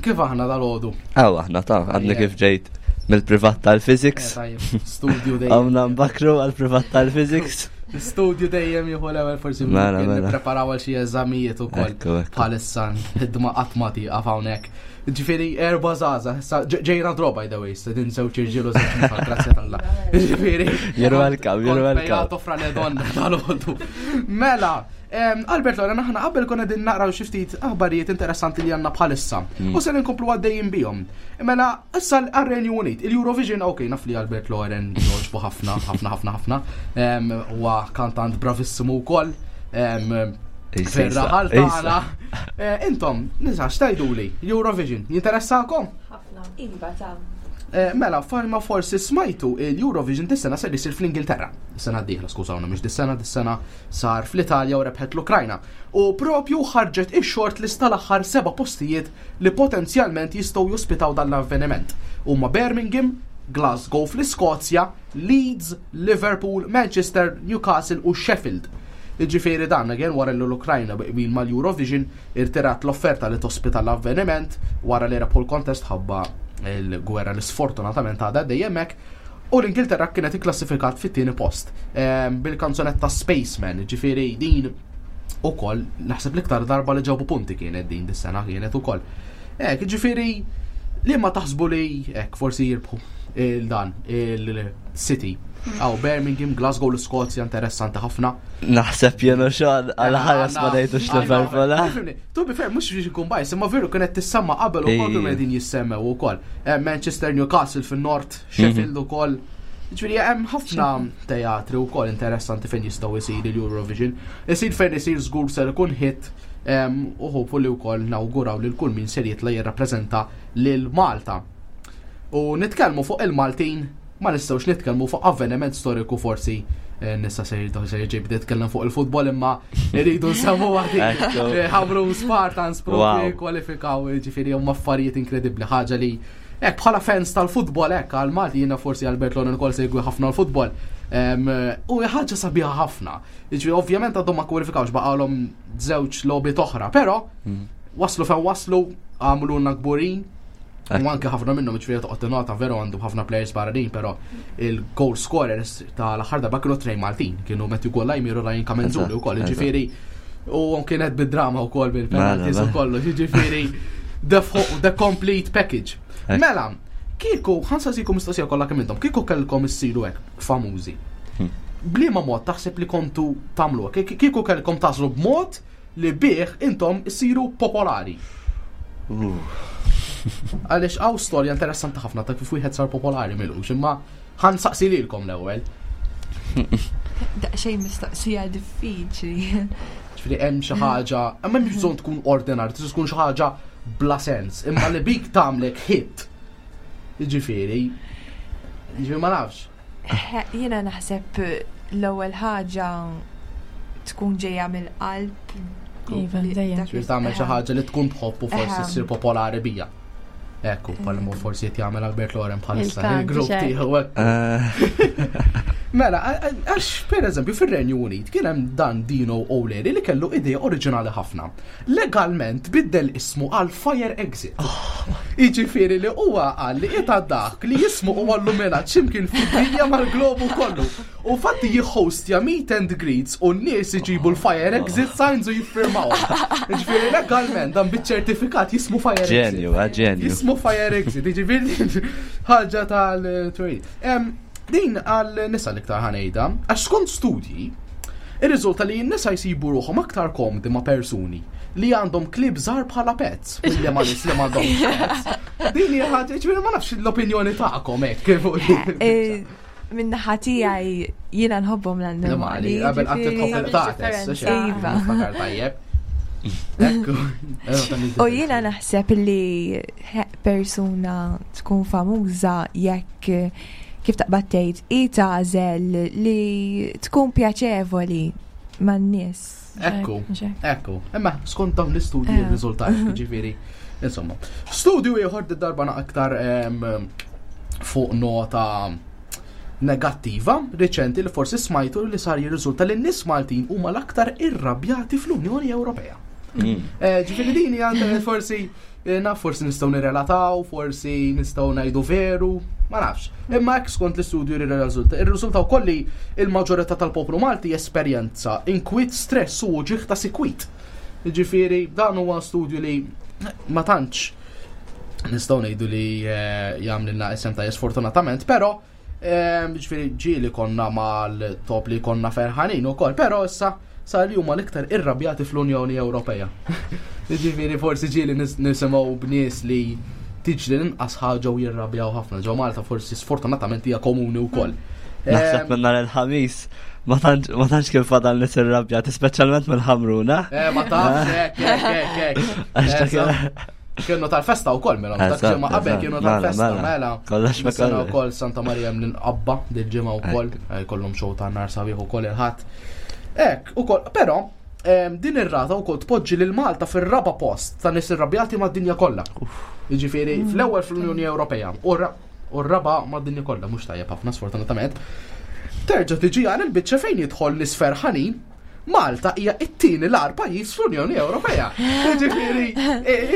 Kif aħna dal-għodu?
Aw, aħna ta' għadni kif ġejt mill-privat tal-physics.
Eh, studio dejjem.
Għamna mbakru għal-privat tal-physics.
Studio dejjem jieħu l-ewwel forsi
mela, mela.
nippreparaw għal xi eżamijiet ukoll bħalissa ħidma qatt ma tieqaf hawnhekk. Ġifieri erba' żgħażagħ, ġejna draw by the way, se din żewġ irġiel u żewġ nisa, grazzi t'Alla. Ġifieri.
You're welcome, you're welcome.
Toffra le donna tal-għodu. Mela, Albert Loren, aħna qabel konna din naqraw xi ftit aħbarijiet interessanti li għandna bħalissa. U se nkomplu għaddejjin bihom. Mela, issa għar-Renju Unit, il-Eurovision, ok, naf li Albert Loren jogħġbu ħafna, ħafna, ħafna, ħafna. Huwa kantant bravissimu wkoll. Fir-raħal tagħna. Eh, intom, nisa, x'tajduli? Eurovision, jinteressakom?
Ħafna. Iva, ta'
Eh, mela, farma forsi smajtu il-Eurovision dis-sena ser jisir fl-Ingilterra. Sena d-dieħla, skużawna, mhux dis-sena, dis-sena sar fl-Italja u rebħet l-Ukrajna. U propju ħarġet ix-short list tal-aħħar seba' postijiet li potenzjalment jistgħu jospitaw dan l-avveniment. Huma Birmingham, Glasgow fl-Iskozja, Leeds, Liverpool, Manchester, Newcastle u Sheffield. Jiġifieri dan again wara li l-Ukrajna bi qbil mal-Eurovision irtirat l-offerta li tospita l-avveniment wara li rebħu l-kontest ħabba l-gwerra li sfortunatament għadha għaddejja hemmhekk u l-Ingilterra kienet ikklassifikat fit-tieni post ehm, bil-kanzunetta Spaceman, ġifieri din ukoll naħseb l-iktar darba li ġabu punti kienet din dis-sena kienet ukoll. Ek, ġifieri li ma taħsbu li ek forsi jirbħu il-dan il-City. Aw Birmingham, Glasgow, l-Skozja interessanti ħafna.
Naħseb jenu xogħol għal ħares ma ngħidux Liverpool.
Eh? To be fair, mhux biex ikun bajs, imma veru kienet tissemma qabel ukoll kienu qegħdin jissemmew ukoll. Eh, Manchester Newcastle fin-Nord, Sheffield mhm. ukoll. Ġifieri hemm ħafna teatri wkoll interessanti fejn jistgħu jsir il-Eurovision. Isir fejn isir żgur ser ikun hit u hopefully wkoll nawguraw lil kull min ser jitla' jirrappreżenta lil Malta. U nitkellmu fuq il-Maltin ma nistgħux nitkellmu fuq avveniment storiku forsi eh, nista se se ġej bdiet tkellem fuq il-futbol imma rridu nsemmu waħdi. Eh, Ħamru Spartans propri kwalifikaw ġifieri huma affarijiet inkredibbli ħaġa li hekk bħala fans tal-futbol hekk għal Malti jiena forsi Albert Loren ukoll segwi ħafna l-futbol. U ħaġa sabiħa ħafna. Ġifieri ovvjament għadhom ma kwalifikawx baqgħalhom żewġ logħbiet oħra, però mm. waslu fejn waslu għamlulna kburin U anke ħafna minnhom ġifieri toqgħod tingħata veru għandu ħafna players barranin, però il-goal scorers tal-aħħar darba kienu trej Maltin, kienu Matthew Gollajmir u Ryan Kamenzuli wkoll, ġifieri u kienet bid-drama wkoll bil-penalties u kollox, ġifieri the complete package. Mela, kieku ħansaqsikom mistoqsija kollha kemm intom, kieku kellkom issiru hekk famużi. Hmm. Bliema mod taħseb li kontu tagħmlu kieku kellkom tażlu b'mod li bih intom issiru popolari. Għaliex hawn storja interessanti ħafna ta' kif wieħed sar popolari milux, imma ħan saqsi lilkom l-ewwel.
Daqsxejn mistoqsija diffiċli.
Ġifieri hemm xi ħaġa, imma m'hemmx bżonn tkun ordinarju, tista' tkun xi ħaġa bla sens, imma li bik tagħmlek hit. Ġifieri, ġifieri ma nafx.
Jiena naħseb l-ewwel ħaġa tkun ġejja mill-qalb.
Iva, dejjem.
Ġifieri tagħmel xi ħaġa li tkun tħobb u forsi ssir popolari bija. Ekku, bħal forsi qed jagħmel Albert Loren bħalissa il-grupp tiegħu. Eh. Mela, għax per eżempju fir-Renju Unit kien hemm dan Dino O'Leary li kellu idea oriġinali ħafna. Legalment biddel ismu għal Fire Exit. Jiġifieri li huwa qal li qiegħed dak li jismu huwa illuminat x'imkien fid-dinja mal-globu kollu. U fatti jihhostja meet and greets u n-nies iġibu l-Fire Exit signs u jiffirmaw. Jiġifieri legalment dan biċ-ċertifikat jismu Fire Exit.
Ġenju, eh, ġenju.
Jismu Fire Exit, jiġifieri ħaġa tal-tweet. Din għal nisa l-iktar ħanejda, għax skont studji, irriżulta li n-nisa jsibu ruħhom aktar komdi ma' persuni li għandhom klib żgħar bħala pets, milli ma' nies li m'għandhomx pets. Din hija ħaġa, ġifieri ma nafx l-opinjoni tagħkom hekk.
Eh, Min-naħa tiegħi jiena nħobbhom l-annimali.
Qabel qatt tħobb il-qtates,
Iva.
Tajjeb.
U jiena naħseb li persuna tkun famuża jekk kif taqbad tgħid hi tagħżel li tkun pjaċevoli. man-nies.
Ekku, ekku. Imma skont dawn l-istudji r-riżultat, ġifieri. Insomma, studju ieħor darba aktar fuq nota negattiva riċenti li forsi smajtu li sar jirriżulta li n-nies Maltin huma l-aktar irrabjati fl-Unjoni Ewropea. Ġifieri din hija forsi naf forsi nistgħu nirrelataw, forsi nistgħu ngħidu veru, ma nafx. Imma hekk skont l-istudju li rriżulta. Irriżulta wkoll li l-maġġorità tal-poplu Malti jesperjenza inkwiet, stress u uġigħ ta' sikwit. Ġifieri dan huwa studju li ma tantx nistgħu ngħidu li jagħmlilna isem ta' sfortunatament, però ġifieri ġieli konna mal-top li konna ferħanin ukoll, però issa sar li huma l-iktar irrabjati fl-Unjoni Ewropea. Ġifieri forsi ġieli nisimgħu b'nies li tiġri l-inqas ħaġa u jirrabjaw ħafna. Ġo Malta forsi sfortunatament hija komuni wkoll.
Naħseb minn nhar il-Ħamis ma tantx kien fadal nies irrabjati, speċjalment mill-Ħamruna.
Ma tafx, hekk, hekk, hekk, hekk. Kienu tal-festa wkoll mela, dak ġimgħa qabel kienu tal-festa mela.
Kollox ma
kollox. Wkoll Santa Maria mill-Inqabba dil-ġimgħa wkoll, jkollhom show ta' nar sabiħ ukoll il-Ħadd. Hekk, ukoll, però din ir-rata wkoll tpoġġi lil Malta fir-raba' post ta' nies irrabjati mad-dinja kollha. Jiġifieri fl-ewwel fl-Unjoni Ewropea u r-raba' mad-dinja kollha, mhux tajjeb ħafna sfortunatament. Terġa' tiġi għal il-biċċa fejn jidħol nies ferħanin, Malta hija t-tieni l-agħar pajjiż fl-Unjoni Ewropea. Jiġifieri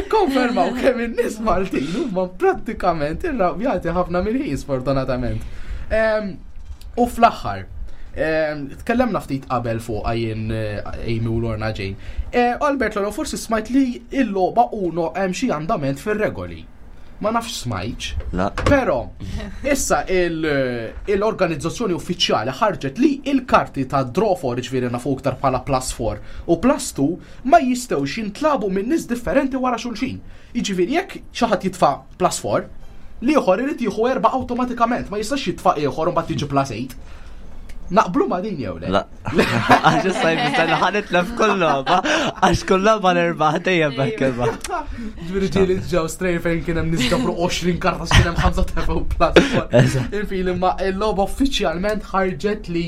ikkonfermaw kemm in-nies Maltin huma prattikament irrabjati ħafna mill-ħin sfortunatament. U fl-aħħar, tkellemna ftit qabel fuq jien Amy u Lorna Jane. Albert Lolo, forsi smajt li l-logħba Uno hemm xi andament fir-regoli. Ma nafx smajtx.
La.
Però issa l-organizzazzjoni uffiċjali ħarġet li il-karti ta' draw 4, ġifieri nafu iktar bħala plus 4 u plus 2 ma jistgħux jintlabu minn nies differenti wara xulxin. Jiġifieri jekk xi ħadd jitfa' plus 4, l-ieħor irid jieħu 4 awtomatikament, ma jistax jitfa' ieħor u mbagħad jiġi plus 8. Naqblu ma' din jew le?
La. Għax issa jfisser li ħa nitlef kull logħba, għax kull logħba nirbaħ dejjem hekk imma.
Ġifieri ġieli ġew strejn fejn kien hemm nies ġabru 20 karta kien hemm 5 tefgħu plus four. Infili imma l-logħba uffiċjalment ħarġet li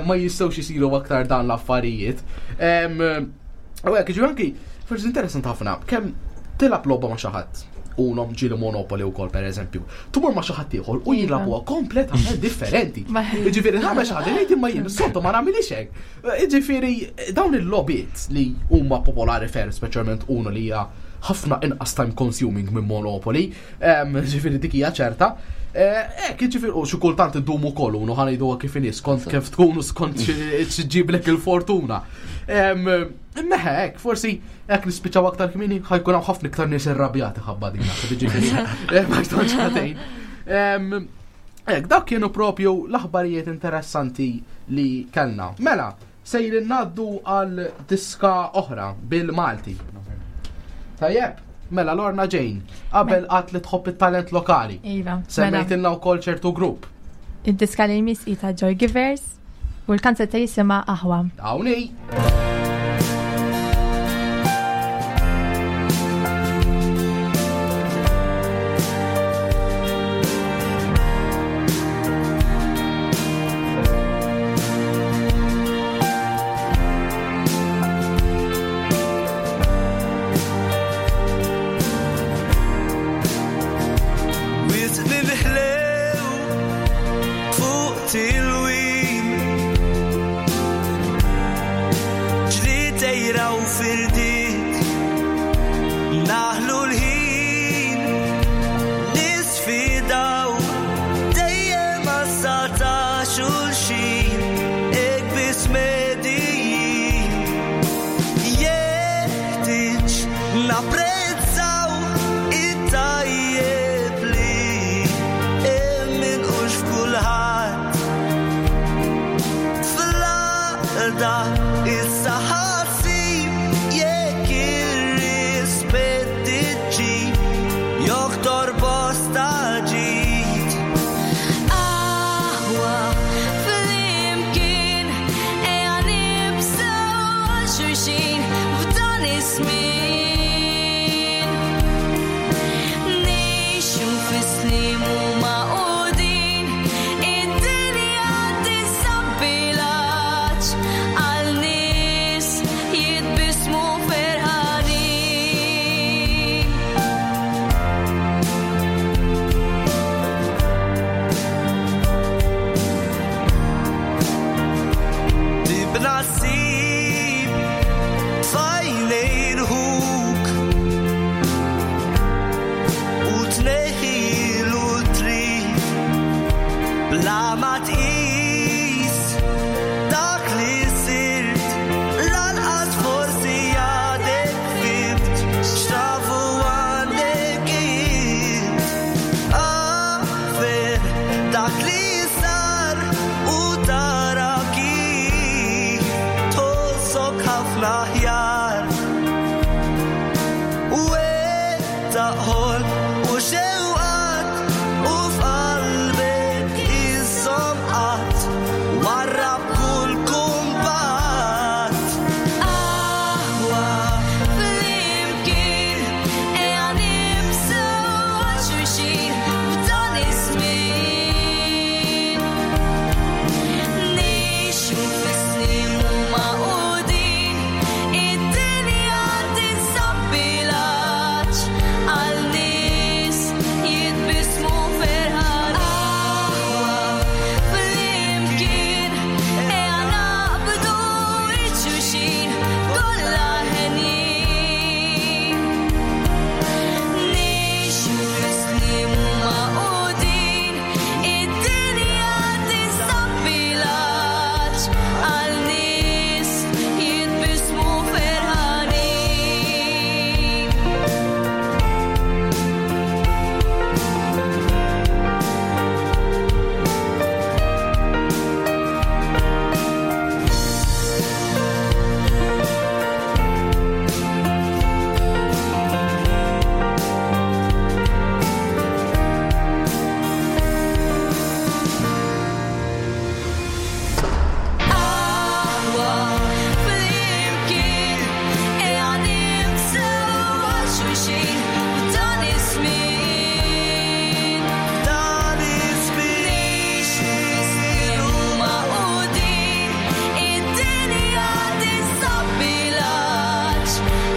ma jistgħux isiru aktar dan l-affarijiet. U hekk, ġifieri anki forsi interessanti ħafna kemm tilgħab logħba ma' xi ħadd. Uno ġieli Monopoly wkoll pereżempju. Tmur ma' xi ħadd ieħor u jilagħbuha kompletament differenti. Jiġifieri nagħmel xi ħaġa ngħid imma jien is-soltu ma nagħmilix hekk. Jiġifieri dawn il-logħbiet li huma popolari ferm, speċjalment Uno li hija ħafna inqas time consuming minn Monopoly, ġifieri dik hija ċerta. Hekk, jiġifieri u xi kultant iddum ukoll Uno ħa ngħiduha kif inhi, skont kif tkun u skont xi ġġiblek il-fortuna. Imma hekk, forsi hekk nispiċċaw aktar kmieni, ħajkun hawn ħafna iktar nies irrabjati ħabba din naħseb, jiġifieri, ma jistgħux ħatejn. Hekk, dak kienu propju l-aħbarijiet interessanti li kellna. Mela, sejrin ngħaddu għal diska oħra bil-Malti. Tajjeb, mela Lorna Jane, qabel qatt li tħobb it-talent lokali.
Iva, mela.
Semmejtilna wkoll ċertu grupp.
Id-diska li jmiss hi ta' Joy Givers u l-kanzetta jisimha Aħwa.
Hawnhi.
Bla ma tqis dak li sirt lanqas forsi għadek fimt x'tafu għandek int. Aħfer dak li sar u tara kif tħossok ħafna aħjar. Wettaq u xewqat u f'qalbek iżżomm qatt warrab kull kumbat.
Aħwa flimkien ejja nibżgħu għal xulxin f'dan iż-żmien. Ngħixu fis-snin u magħqudin, id-dinja tinsab bil-għatx għal nies jitbissmu ferħan. Aħwa flimkien ejja naqbdu xulxin kollha henjin. Ngħixu fis-snin magħqudin, id-dinja tinsab bil-għatx għal nies jitbissmu ferħanin. Aħwa flimkien ejja nibżgħu għal xulxin f'dan iż-żmien.
F'dan iż-żmien.
Ngħixu fis-snin u magħqudin, id-dinja tinsab bil-għatx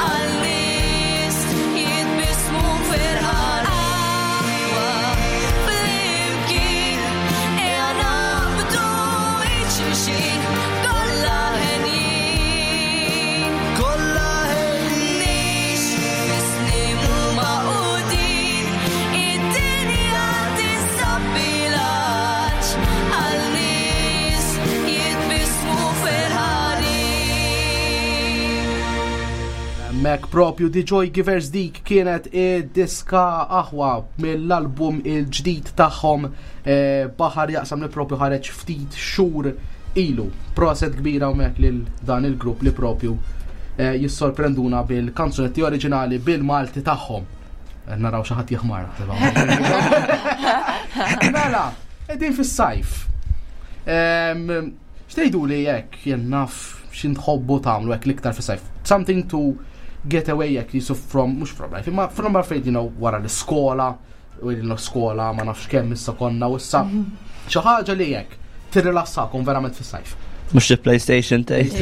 għal nies jitbissmu ferħan. Aħwa flimkien ejja naqbdu xulxin kollha henjin.
Kollha henjin.
Ngħixu fis-snin u magħqudin, id-dinja tinsab bil-għatx għal nies jitbissmu ferħanin.
Mek propju The Joy Givers dik kienet id-diska aħwa mill-album il-ġdid tagħhom eh, Baħar Jaqsam li propju ħareġ ftit xhur ilu. Proset kbira hawnhekk lil dan il-grupp li propju eh, jissorprenduna bil-kanzunetti oriġinali bil-Malti tagħhom. Eh, Naraw xi ħadd jeħmar. Mela, qegħdin fis-sajf. Em, X'tgħidu li jekk jien naf x'intħobbu tagħmlu hekk l-iktar fis-sajf? Something to get away jekk jisu from mhux from life, imma from għalfejn you know, wara l-iskola, u l-iskola ma nafx kemm issa konna u issa xi ħaġa li jekk tirrilassakom verament fis-sajf.
Mhux il-PlayStation tgħid.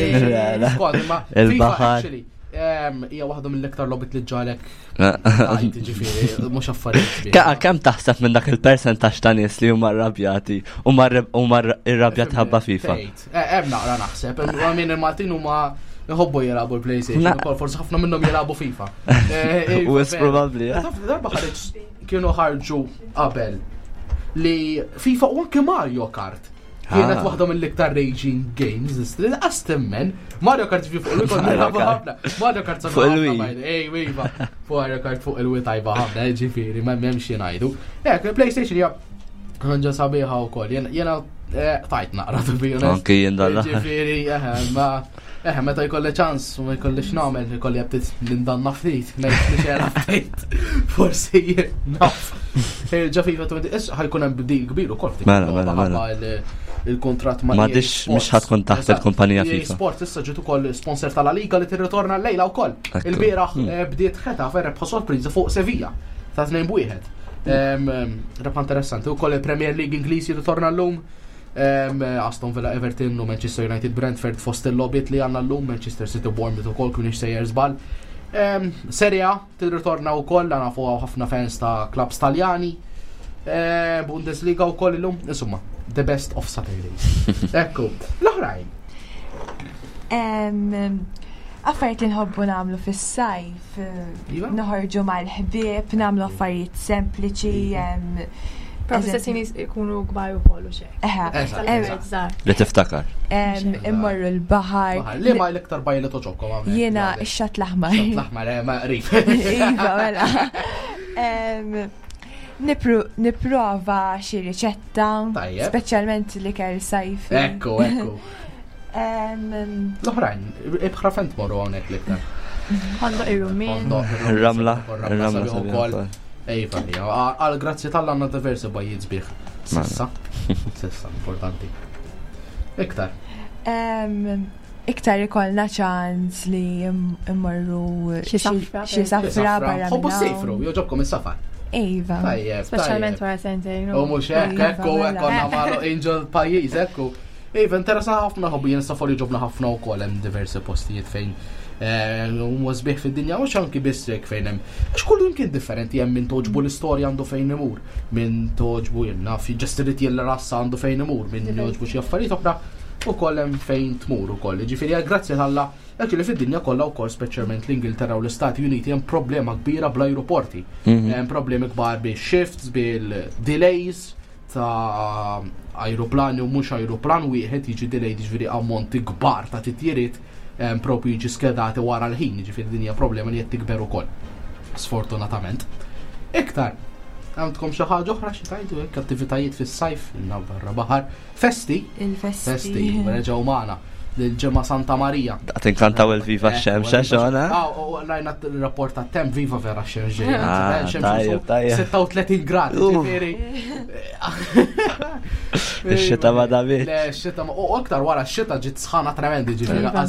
Skont, imma FIFA
Il-baħar.
actually, em, hija waħda mill-iktar lobit li ġalek tajt, ġifieri, mhux affarijiet. kbir.
Ka kemm taħseb minn dak il-percentaġġ ta' nies li huma rrabjati u huma rrabjati ħabba FIFA?
Tgħid. Eh, Hemm naqra naħseb, hemm min il-Maltin huma jħobbu jilagħbu l-PlayStation, ukoll forsi ħafna minnhom jilagħbu FIFA. Eh,
U
iva,
it's
vera.
probably, eh.
Taf, Darba ħareġ kienu ħarġu qabel li FIFA u anke Mario Kart kienet
Ah.
waħda mill-iktar raging games, li laqas temmen Mario Kart fi fuq il-Wii kont
Mario
nilagħbu
Kart.
ħafna. Mario Kart
Fuq il-Wii.
Ej, iva. Fuq Mario Kart fuq il-Wii tajba ħafna, ġifieri, ma m'hemmx xi ngħidu. Ek, PlayStation hija ħanġa sabiħa wkoll. Jena- Jena eh, tajt naqra to be honest.
Anki jien dan l-aħħar.
Ġifieri, eħe, ma eħe, meta jkolli ċans u ma jkollix nagħmel, jkolli għabtit nindanna ftit, ngħid li xejn ftit. Forsi naf. Eh, Ġa FIFA 20, issa ħajkun hemm bdil kbir ukoll ftit.
Mela, mela, mela.
Ħabba il- Il-kontrat ma'
Ma
EA
dix-
Sports.
mhux ħatkun taħt
Eżatt.
il-kumpanija
EA
FIFA.
Sports issa ġiet ukoll sponsor tal-La Liga li tirritorna l-lejla wkoll.
Ekku.
Il-bieraħ
Hmm.
eh, bdiet Getafe rebħa sorpriża fuq Sevilla ta' 2-1. Em, em, Rebħa interessanti wkoll il-Premier League Ingliż jirritorna llum. Em, Aston Villa Everton u Manchester United Brentford fost il-lobbiet li għandna llum Manchester City Bournemouth ukoll kien sejjer żball. Em, Serie A tirritorna wkoll għandna fuq ħafna fans ta' clubs Taljani. Eh, Bundesliga wkoll illum, insomma, the best of Saturdays. Ekku, l-oħrajn.
Em, Affarijiet li nħobbu nagħmlu fis-sajf, eh,
Iva?
noħorġu mal-ħbieb, nagħmlu affarijiet sempliċi, em,
Però fl-istess ħin ikunu kbar ukoll u xejn.
Eħe.
Li tiftakar.
Immorru l-baħar.
Li ma l-iktar bajja li toġobkom hawnhekk?
Jiena x-xatt l-aħmar.
Xatt l-aħmar, eh, ma qrib.
Iva, mela. Nipprova xi riċetta, speċjalment l-ikel sajfi.
Ekku, ekku. L-oħrajn, ibħra fejn tmorru hawnhekk l-iktar?
Ħondoq ir-rummin.
Ir-ramla, ir-ramla
ukoll. Ejfa, għal grazzi tal għandna diversi bajjiet sbieħ. Sissa, sissa, importanti. Iktar.
Iktar ikollna ċans li immorru
xi safra.
Xi safra barra.
Ħobbu sejfru, joġobkom is-safar.
Iva.
Tajjeb.
Speċjalment wara sentejn.
U mhux hekk, ekku, hekk konna magħluq angel pajjiż, ekku. Iva, interessa ħafna ħobbu jien safar jġobna ħafna wkoll hemm diversi postijiet fejn eh, huma sbieħ fid-dinja mhux anki biss hekk fejn hemm. Għax kull kien differenti hemm min toġbu l-istorja għandu fejn imur, min toġbu jien naf ġest irid rassa għandu fejn imur, min joġbu xi affarijiet oħra ukoll hemm fejn tmur ukoll. Ġifieri grazzi Alla actually fid-dinja kollha wkoll speċjalment l-Ingilterra u l-Istati Uniti hemm problema kbira bl-ajruporti. Hemm problemi kbar bil-shifts, bil-delays ta' ajruplani u mhux ajruplan wieħed jiġi delayed jiġifieri ammonti kbar ta' titjiriet propju jiġi skedati wara l-ħin, jiġifieri din hija problema li qed tikber ukoll. Sfortunatament. Iktar, għandkom xi ħaġa oħra xi tgħidu hekk attivitajiet fis-sajf, barra baħar, festi.
Il-festi.
Festi, reġgħu magħna l-ġemma Santa Maria.
Daqt inkantaw il-Viva eh, x-xemx, xona?
Ah, u rajna il-rapport ta' tem Viva vera x-xemx ġejja.
Ah, tajjeb, tajjeb.
36 grad, ġifieri.
Ix-xita ma dabit.
Le, x-xita ma u aktar wara x-xita ġiet sħana tremendi ġifieri
Iva.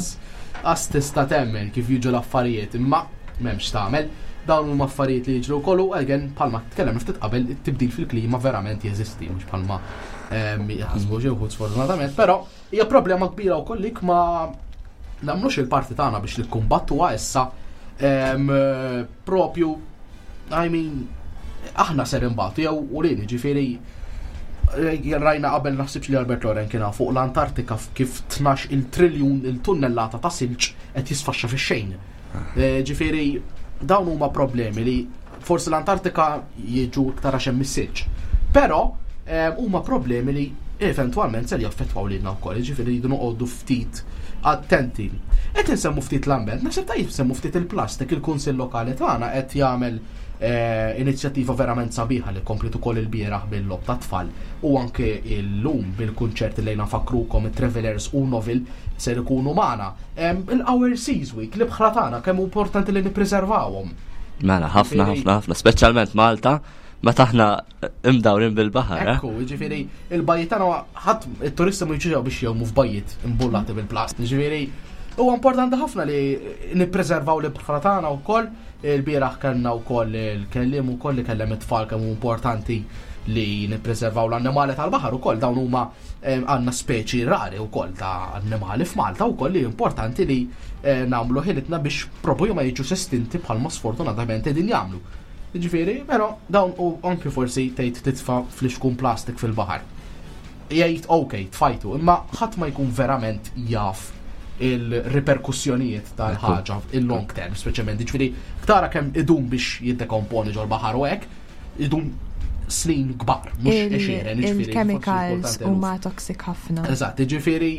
qas tista' temmen kif jiġu l-affarijiet, imma m'hemmx tagħmel. Dawn huma affarijiet li jiġru wkoll u again bħalma tkellem ftit qabel it-tibdil fil-klima verament jeżisti mhux bħalma ehm, jaħsbu xi wħud sfortunatament, però hija problema kbira wkoll lik ma nagħmlux il-parti tagħna biex nikkumbattuha issa ehm, propju I mean aħna ser imbagħtu jew urini ġifieri eh, rajna qabel naħsibx li Albert Loren kien fuq l-Antartika kif 12 il-triljun il-tunnellata ta' silġ qed jisfaxxa fix-xejn. Eh, ġifieri dawn huma problemi li forsi l-Antartika jiġu iktar għax hemm is-silġ. Però eh, huma problemi li eventwalment ser jaffettwaw lilna wkoll, ġifieri jridu noqogħdu ftit attenti. Qed insemmu ftit l-ambjent, naħseb tajjeb semmu ftit il-plastik, il-Kunsill Lokali tagħna qed jagħmel eh, inizjattiva verament sabiħa li komplet ukoll il-bieraħ bil-lob ta' tfal u anke illum bil-kunċert li nafakrukom it-Travelers u Novel ser ikunu magħna. Il-Our Seas Week, l-ibħra tagħna kemm importanti li nippreservawhom.
Mela, ħafna, ħafna, ħafna, speċjalment Malta, meta aħna imdawrin bil-baħar. Eh?
Ekku, ġifieri, il-bajjiet tagħna ħadd it-turisti ma jiġu biex jgħumu f'bajjiet imbullati bil-plast. Ġifieri, huwa importanti ħafna li nippreservaw l-ibħra tagħna wkoll. Il-bieraħ kellna wkoll il-kelliem ukoll li kellem it-tfal kemm importanti li nippreservaw l-annimali tal-baħar ukoll dawn huma eh, għandna speċi rari wkoll ta' annimali f'Malta wkoll li importanti li eh, nagħmlu ħilitna biex propju ma jiġu estinti bħalma sfortunatament qegħdin jagħmlu. Ġifieri, però dawn u anki forsi tgħid titfa' flixkun plastik fil-baħar. Jgħid ok, tfajtu, imma ħadd ma jkun verament jaf il-riperkussjonijiet tal-ħaġa il-long term, speċjalment. Ġifieri, tara kemm idum biex jiddekomponi ġol-baħar u hekk, idum snin kbar, mhux għexieren, ġifieri,
Il-chemicals
forsi
huma toxic ħafna.
Eżatt, ġifieri,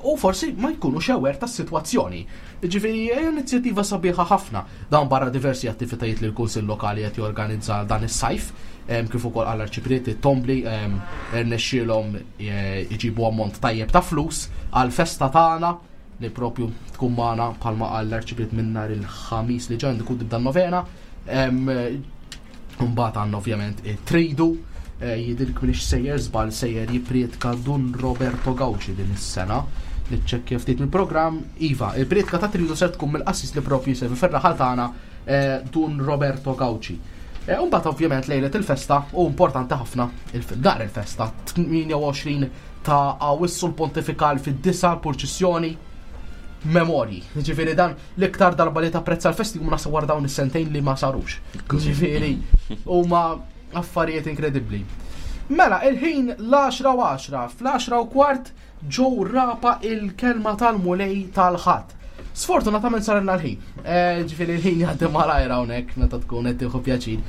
u forsi ma jkunux aware tas-sitwazzjoni. Ġifieri, hija inizjattiva sabiħa ħafna. Dan barra diversi attivitajiet li l-Kunsill Lokali qed jorganizza dan is-sajf, kif ukoll għall arċiprieti Tombli rnexxielhom eh, iġibu ammont tajjeb ta' flus għal festa tagħna li propju tkun magħna bħalma qal l-arċipriet minn nhar il-ħamis li ġej tkun tibda novena. Mbagħad għandna ovvjament it-tridu, eh, jidhirli m'iniex sejjer żball sejjer jipprietka Dun Roberto Gauci din is-sena. Niċċekkja ftit mill-programm. Iva, il-prietka ta' tridu ser tkun mill-qassis li propju jservi fir-raħal tagħna eh, Dun Roberto Gauci. Eh, Mbagħad ovvjament lejlet il-festa u importanti ħafna il-dar il-festa 28 ta' Awissu l-Pontifikal fid-disa l-purċissjoni memorji. Ġifieri dan l-iktar darba li tapprezza l-festi huma naħseb wara dawn is-sentejn li ma sarux. Ġifieri huma affarijiet inkredibbli. Mela, il-ħin l-10 u 10, fl-10 u kwart ġew rapa il-kelma tal-mulej tal-ħadd. Sfortunatament sarilna l-ħin. Eh, ġifieri l-ħin jgħaddi malajr hawnhekk meta tkun qed tieħu pjaċir.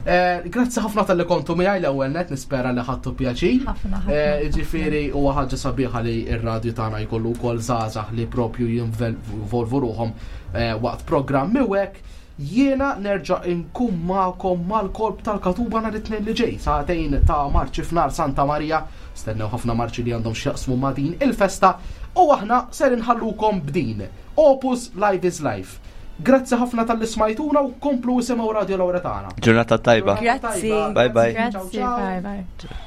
Eh, grazzi ħafna tal-li kontu miegħi l-ewwel net nispera li ħadtu pjaċir.
Ħafna, ħafna.
Eh, Ġifieri huwa ħaġa sabiħa li r-radju tagħna jkollu wkoll żgħażagħ li propju jinvolvu ruħhom eh, waqt programmi u hekk. Jiena nerġa' inkun magħkom mal-kolb tal-katuba nhar it-tnejn li ġej, sagħtejn ta' marċi f'nar Santa Marija. Stennew ħafna marċi li għandhom x'jaqsmu ma' din il-festa u aħna ser inħallukom b'din. Opus Live is Life. Grazzi ħafna talli smajtuna u komplu isimgħu Radio Lauretana.
Ġurnata tajba.
Grazzi.
Bye bye.
Grazzi, bye bye.